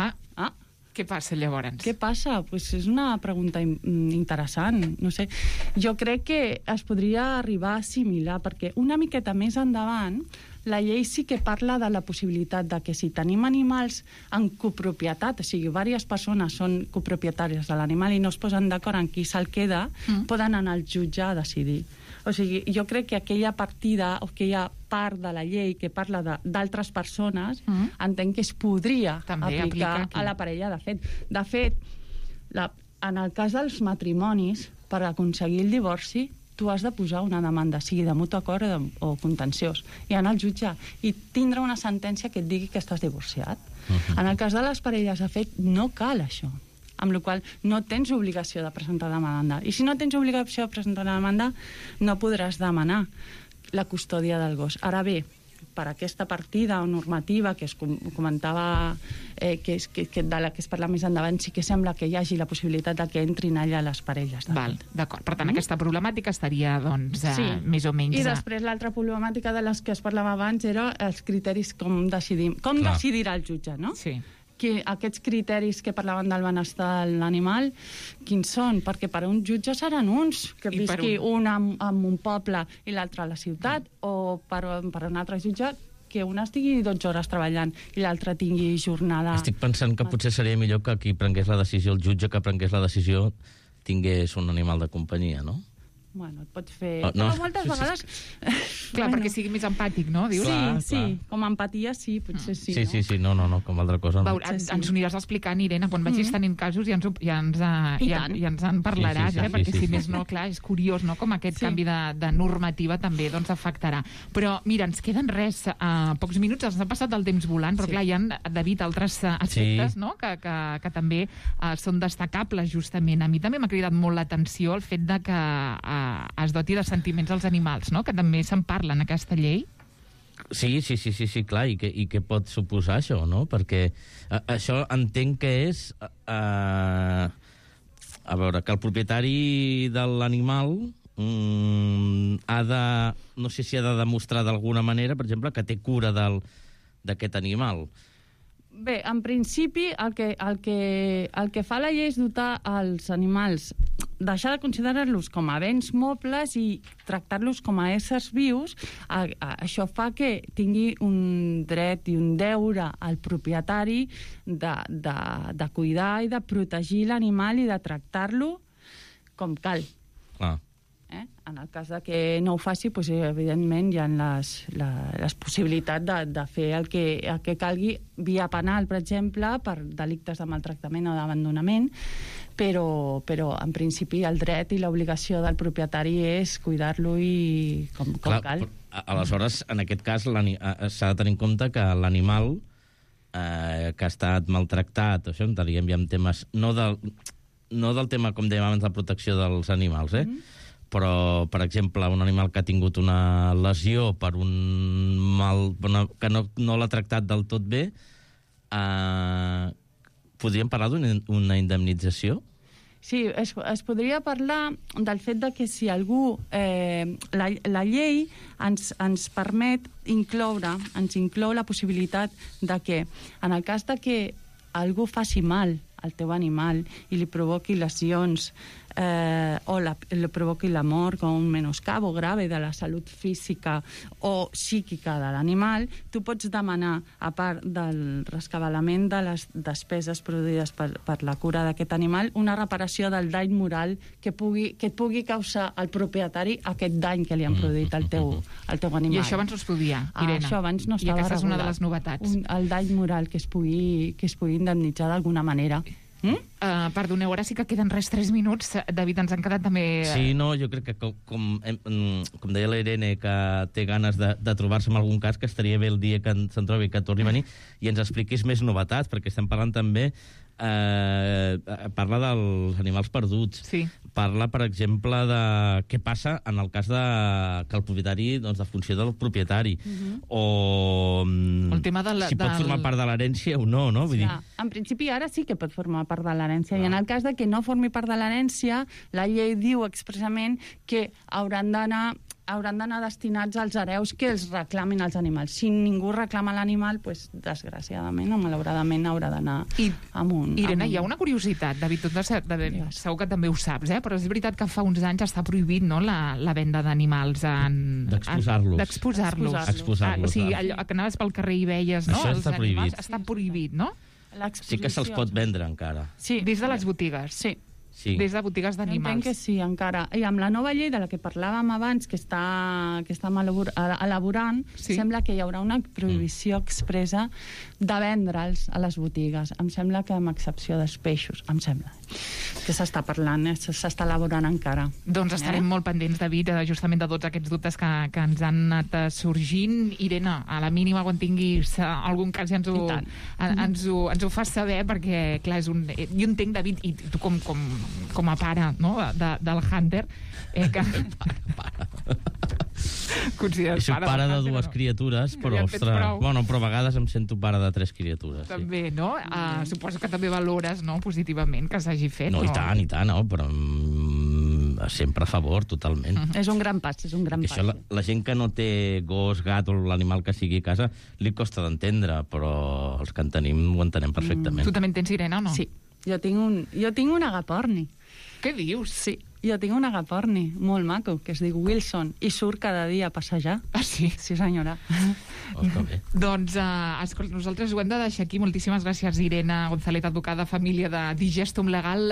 Què passa llavors? Què passa? Pues és una pregunta interessant. No sé. Jo crec que es podria arribar a assimilar, perquè una miqueta més endavant la llei sí que parla de la possibilitat de que si tenim animals en copropietat, o sigui, diverses persones són copropietàries de l'animal i no es posen d'acord en qui se'l queda, poden anar al jutge a decidir. O sigui, jo crec que aquella partida o aquella part de la llei que parla d'altres persones, entenc que es podria aplicar a la parella. De fet, en el cas dels matrimonis, per aconseguir el divorci, tu has de posar una demanda, sigui de mutu acord o contenciós, i anar al jutge i tindre una sentència que et digui que estàs divorciat. En el cas de les parelles, de fet, no cal això, amb la qual cosa no tens obligació de presentar demanda. I si no tens obligació de presentar demanda, no podràs demanar la custòdia del gos. Ara bé, per aquesta partida o normativa que es comentava, de la que es parla més endavant, sí que sembla que hi hagi la possibilitat de que entrin allà les parelles. D'acord. Per tant, aquesta problemàtica estaria, doncs, més o menys... I després l'altra problemàtica de les que es parlava abans era els criteris com decidirà el jutge, no? Sí. Que aquests criteris que parlaven del benestar de l'animal, quins són? Perquè per a un jutge seran uns, que visqui un en un poble i l'altre a la ciutat, o per un altre jutge que un estigui 12 hores treballant i l'altre tingui jornada... Estic pensant que potser seria millor que qui prengués la decisió, el jutge que prengués la decisió, tingués un animal de companyia, no? bueno, et pot fer... Oh, no. Però moltes vegades... Clar, perquè sigui més empàtic, no? Dius? Sí, com a empatia sí, potser sí. Sí, no, com altra cosa. No. Ens aniràs explicant, Irene, quan vagis tenint casos ja ens en parlaràs, perquè si més no, clar, és curiós, no?, com aquest canvi de normativa també doncs afectarà. Però, mira, ens queden pocs minuts, ens ha passat el temps volant, però clar, hi ha, David, altres aspectes, no?, que també són destacables, justament. A mi també m'ha cridat molt l'atenció el fet de que es doti de sentiments als animals, no?, que també se'n parla en aquesta llei. Sí, clar, i què pot suposar això, no? Perquè això entenc que és... a veure, que el propietari de l'animal ha de... No sé si ha de demostrar d'alguna manera, per exemple, que té cura d'aquest animal. Bé, en principi, el que fa la llei és dotar els animals, deixar de considerar-los com a béns mobles i tractar-los com a éssers vius. Això fa que tingui un dret i un deure al propietari de cuidar i de protegir l'animal i de tractar-lo com cal. En el cas de que no ho faci, doncs, evidentment hi ha les possibilitats de fer el que calgui via penal, per exemple, per delictes de maltractament o d'abandonament, però en principi el dret i l'obligació del propietari és cuidar-lo i com cal. Aleshores, en aquest cas, s'ha de tenir en compte que l'animal que ha estat maltractat, això entraríem ja en temes, no del tema, com dèiem abans, de protecció dels animals, però, per exemple, un animal que ha tingut una lesió per un mal... que no l'ha tractat del tot bé, podríem parlar d'una indemnització? Sí, es podria parlar del fet de que si algú... la llei ens permet inclou la possibilitat de que, en el cas de que algú faci mal al teu animal i li provoqui lesions o li provoqui la mort com un menoscabo grave de la salut física o psíquica de l'animal, tu pots demanar, a part del rescabalament de les despeses produïdes per la cura d'aquest animal, una reparació del dany moral que et pugui causar al propietari aquest dany que li han produït al teu animal. I això abans no es podia, Irene. Això abans no estava regulat. I aquesta és una de les novetats. El dany moral que es pugui indemnitzar d'alguna manera. Perdoneu, ara sí que queden 3 minuts. David, ens han quedat també... Sí, no, jo crec que com deia la Irene, que té ganes de trobar-se en algun cas, que estaria bé el dia que se'n trobi, que torni a venir i ens expliquis més novetats, perquè estem parlant també parla dels animals perduts. Sí. Parla, per exemple, de què passa en el cas que el propietari, doncs, de funció del propietari. O el tema si pot formar part de l'herència o no, no? Vull dir... En principi, ara sí que pot formar part de l'herència. I en el cas de que no formi part de l'herència, la llei diu expressament que hauran d'anar destinats als hereus que els reclamin els animals. Si ningú reclama l'animal, doncs, desgraciadament o malauradament haurà d'anar amunt. Irene, hi ha una curiositat, David, segur que també ho saps, però és veritat que fa uns anys està prohibit, no?, la venda d'animals d'exposar-los. O sigui, allò que anaves pel carrer i veies, no?, això els animals, està prohibit, no? Sí que se'ls pot vendre encara. Sí. Des de les botigues. Sí. Des de botigues d'animals. Entenc que sí, encara. I amb la nova llei de la que parlàvem abans, que està elaborant, sembla que hi haurà una prohibició expressa de vendre'ls a les botigues. Em sembla que amb excepció dels peixos. Em sembla que s'està parlant, s'està elaborant encara. Doncs estarem molt pendents, David, justament de tots aquests dubtes que ens han anat sorgint. Irene, a la mínima, quan tinguis algun cas, ja ens ho fas saber, perquè, clar, jo entenc, David, i tu com a pare, no?, del Hunter, que... Consideres pare? Soc pare de 2 criatures, però, però a vegades em sento pare de 3 criatures. També, no? Suposo que també valores, no?, positivament que s'hagi fet. No, i tant, no, però sempre a favor, totalment. És un gran pas, Això, la gent que no té gos, gat o l'animal que sigui a casa, li costa d'entendre, però els que en tenim ho entenem perfectament. Tu també en tens, Irene, o no? Sí. Jo tinc un agaporni. Què dius? Sí. Jo tinc un agaporni molt maco, que es diu Wilson, i surt cada dia a passejar. Ah, sí? Sí, senyora. Està bé. Doncs, escolta, nosaltres ho hem de deixar aquí. Moltíssimes gràcies, Irene González, advocada família de Digestum Legal.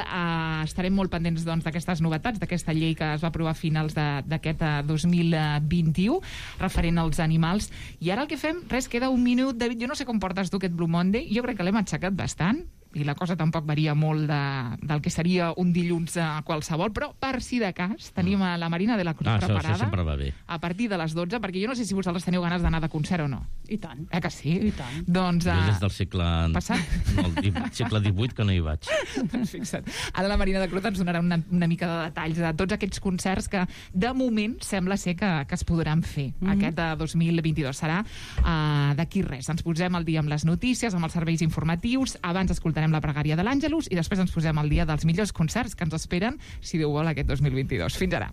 Estarem molt pendents d'aquestes novetats, d'aquesta llei que es va aprovar a finals d'aquest 2021, referent als animals. I ara el que fem, res, queda un minut. David, jo no sé com portes tu aquest Blue Monday. Jo crec que l'hem aixecat bastant, i la cosa tampoc varia molt del que seria un dilluns qualsevol, però per si de cas tenim a la Marina de la Cruz preparada. Això sempre va bé. A partir de les 12, perquè jo no sé si vosaltres teniu ganes d'anar de concert o no. I tant. Que sí? I tant. Doncs, jo des del segle... passat? No, el segle XVIII que no hi vaig. Doncs fixa't. Ara la Marina de Cruz ens donarà una mica de detalls de tots aquests concerts que de moment sembla ser que es podran fer. Aquest de 2022 serà d'aquí res. Ens posem al dia amb les notícies, amb els serveis informatius, abans escoltarem la pregària de l'Àngelus i després ens posem al dia dels millors concerts que ens esperen, si Déu vol, aquest 2022. Fins ara.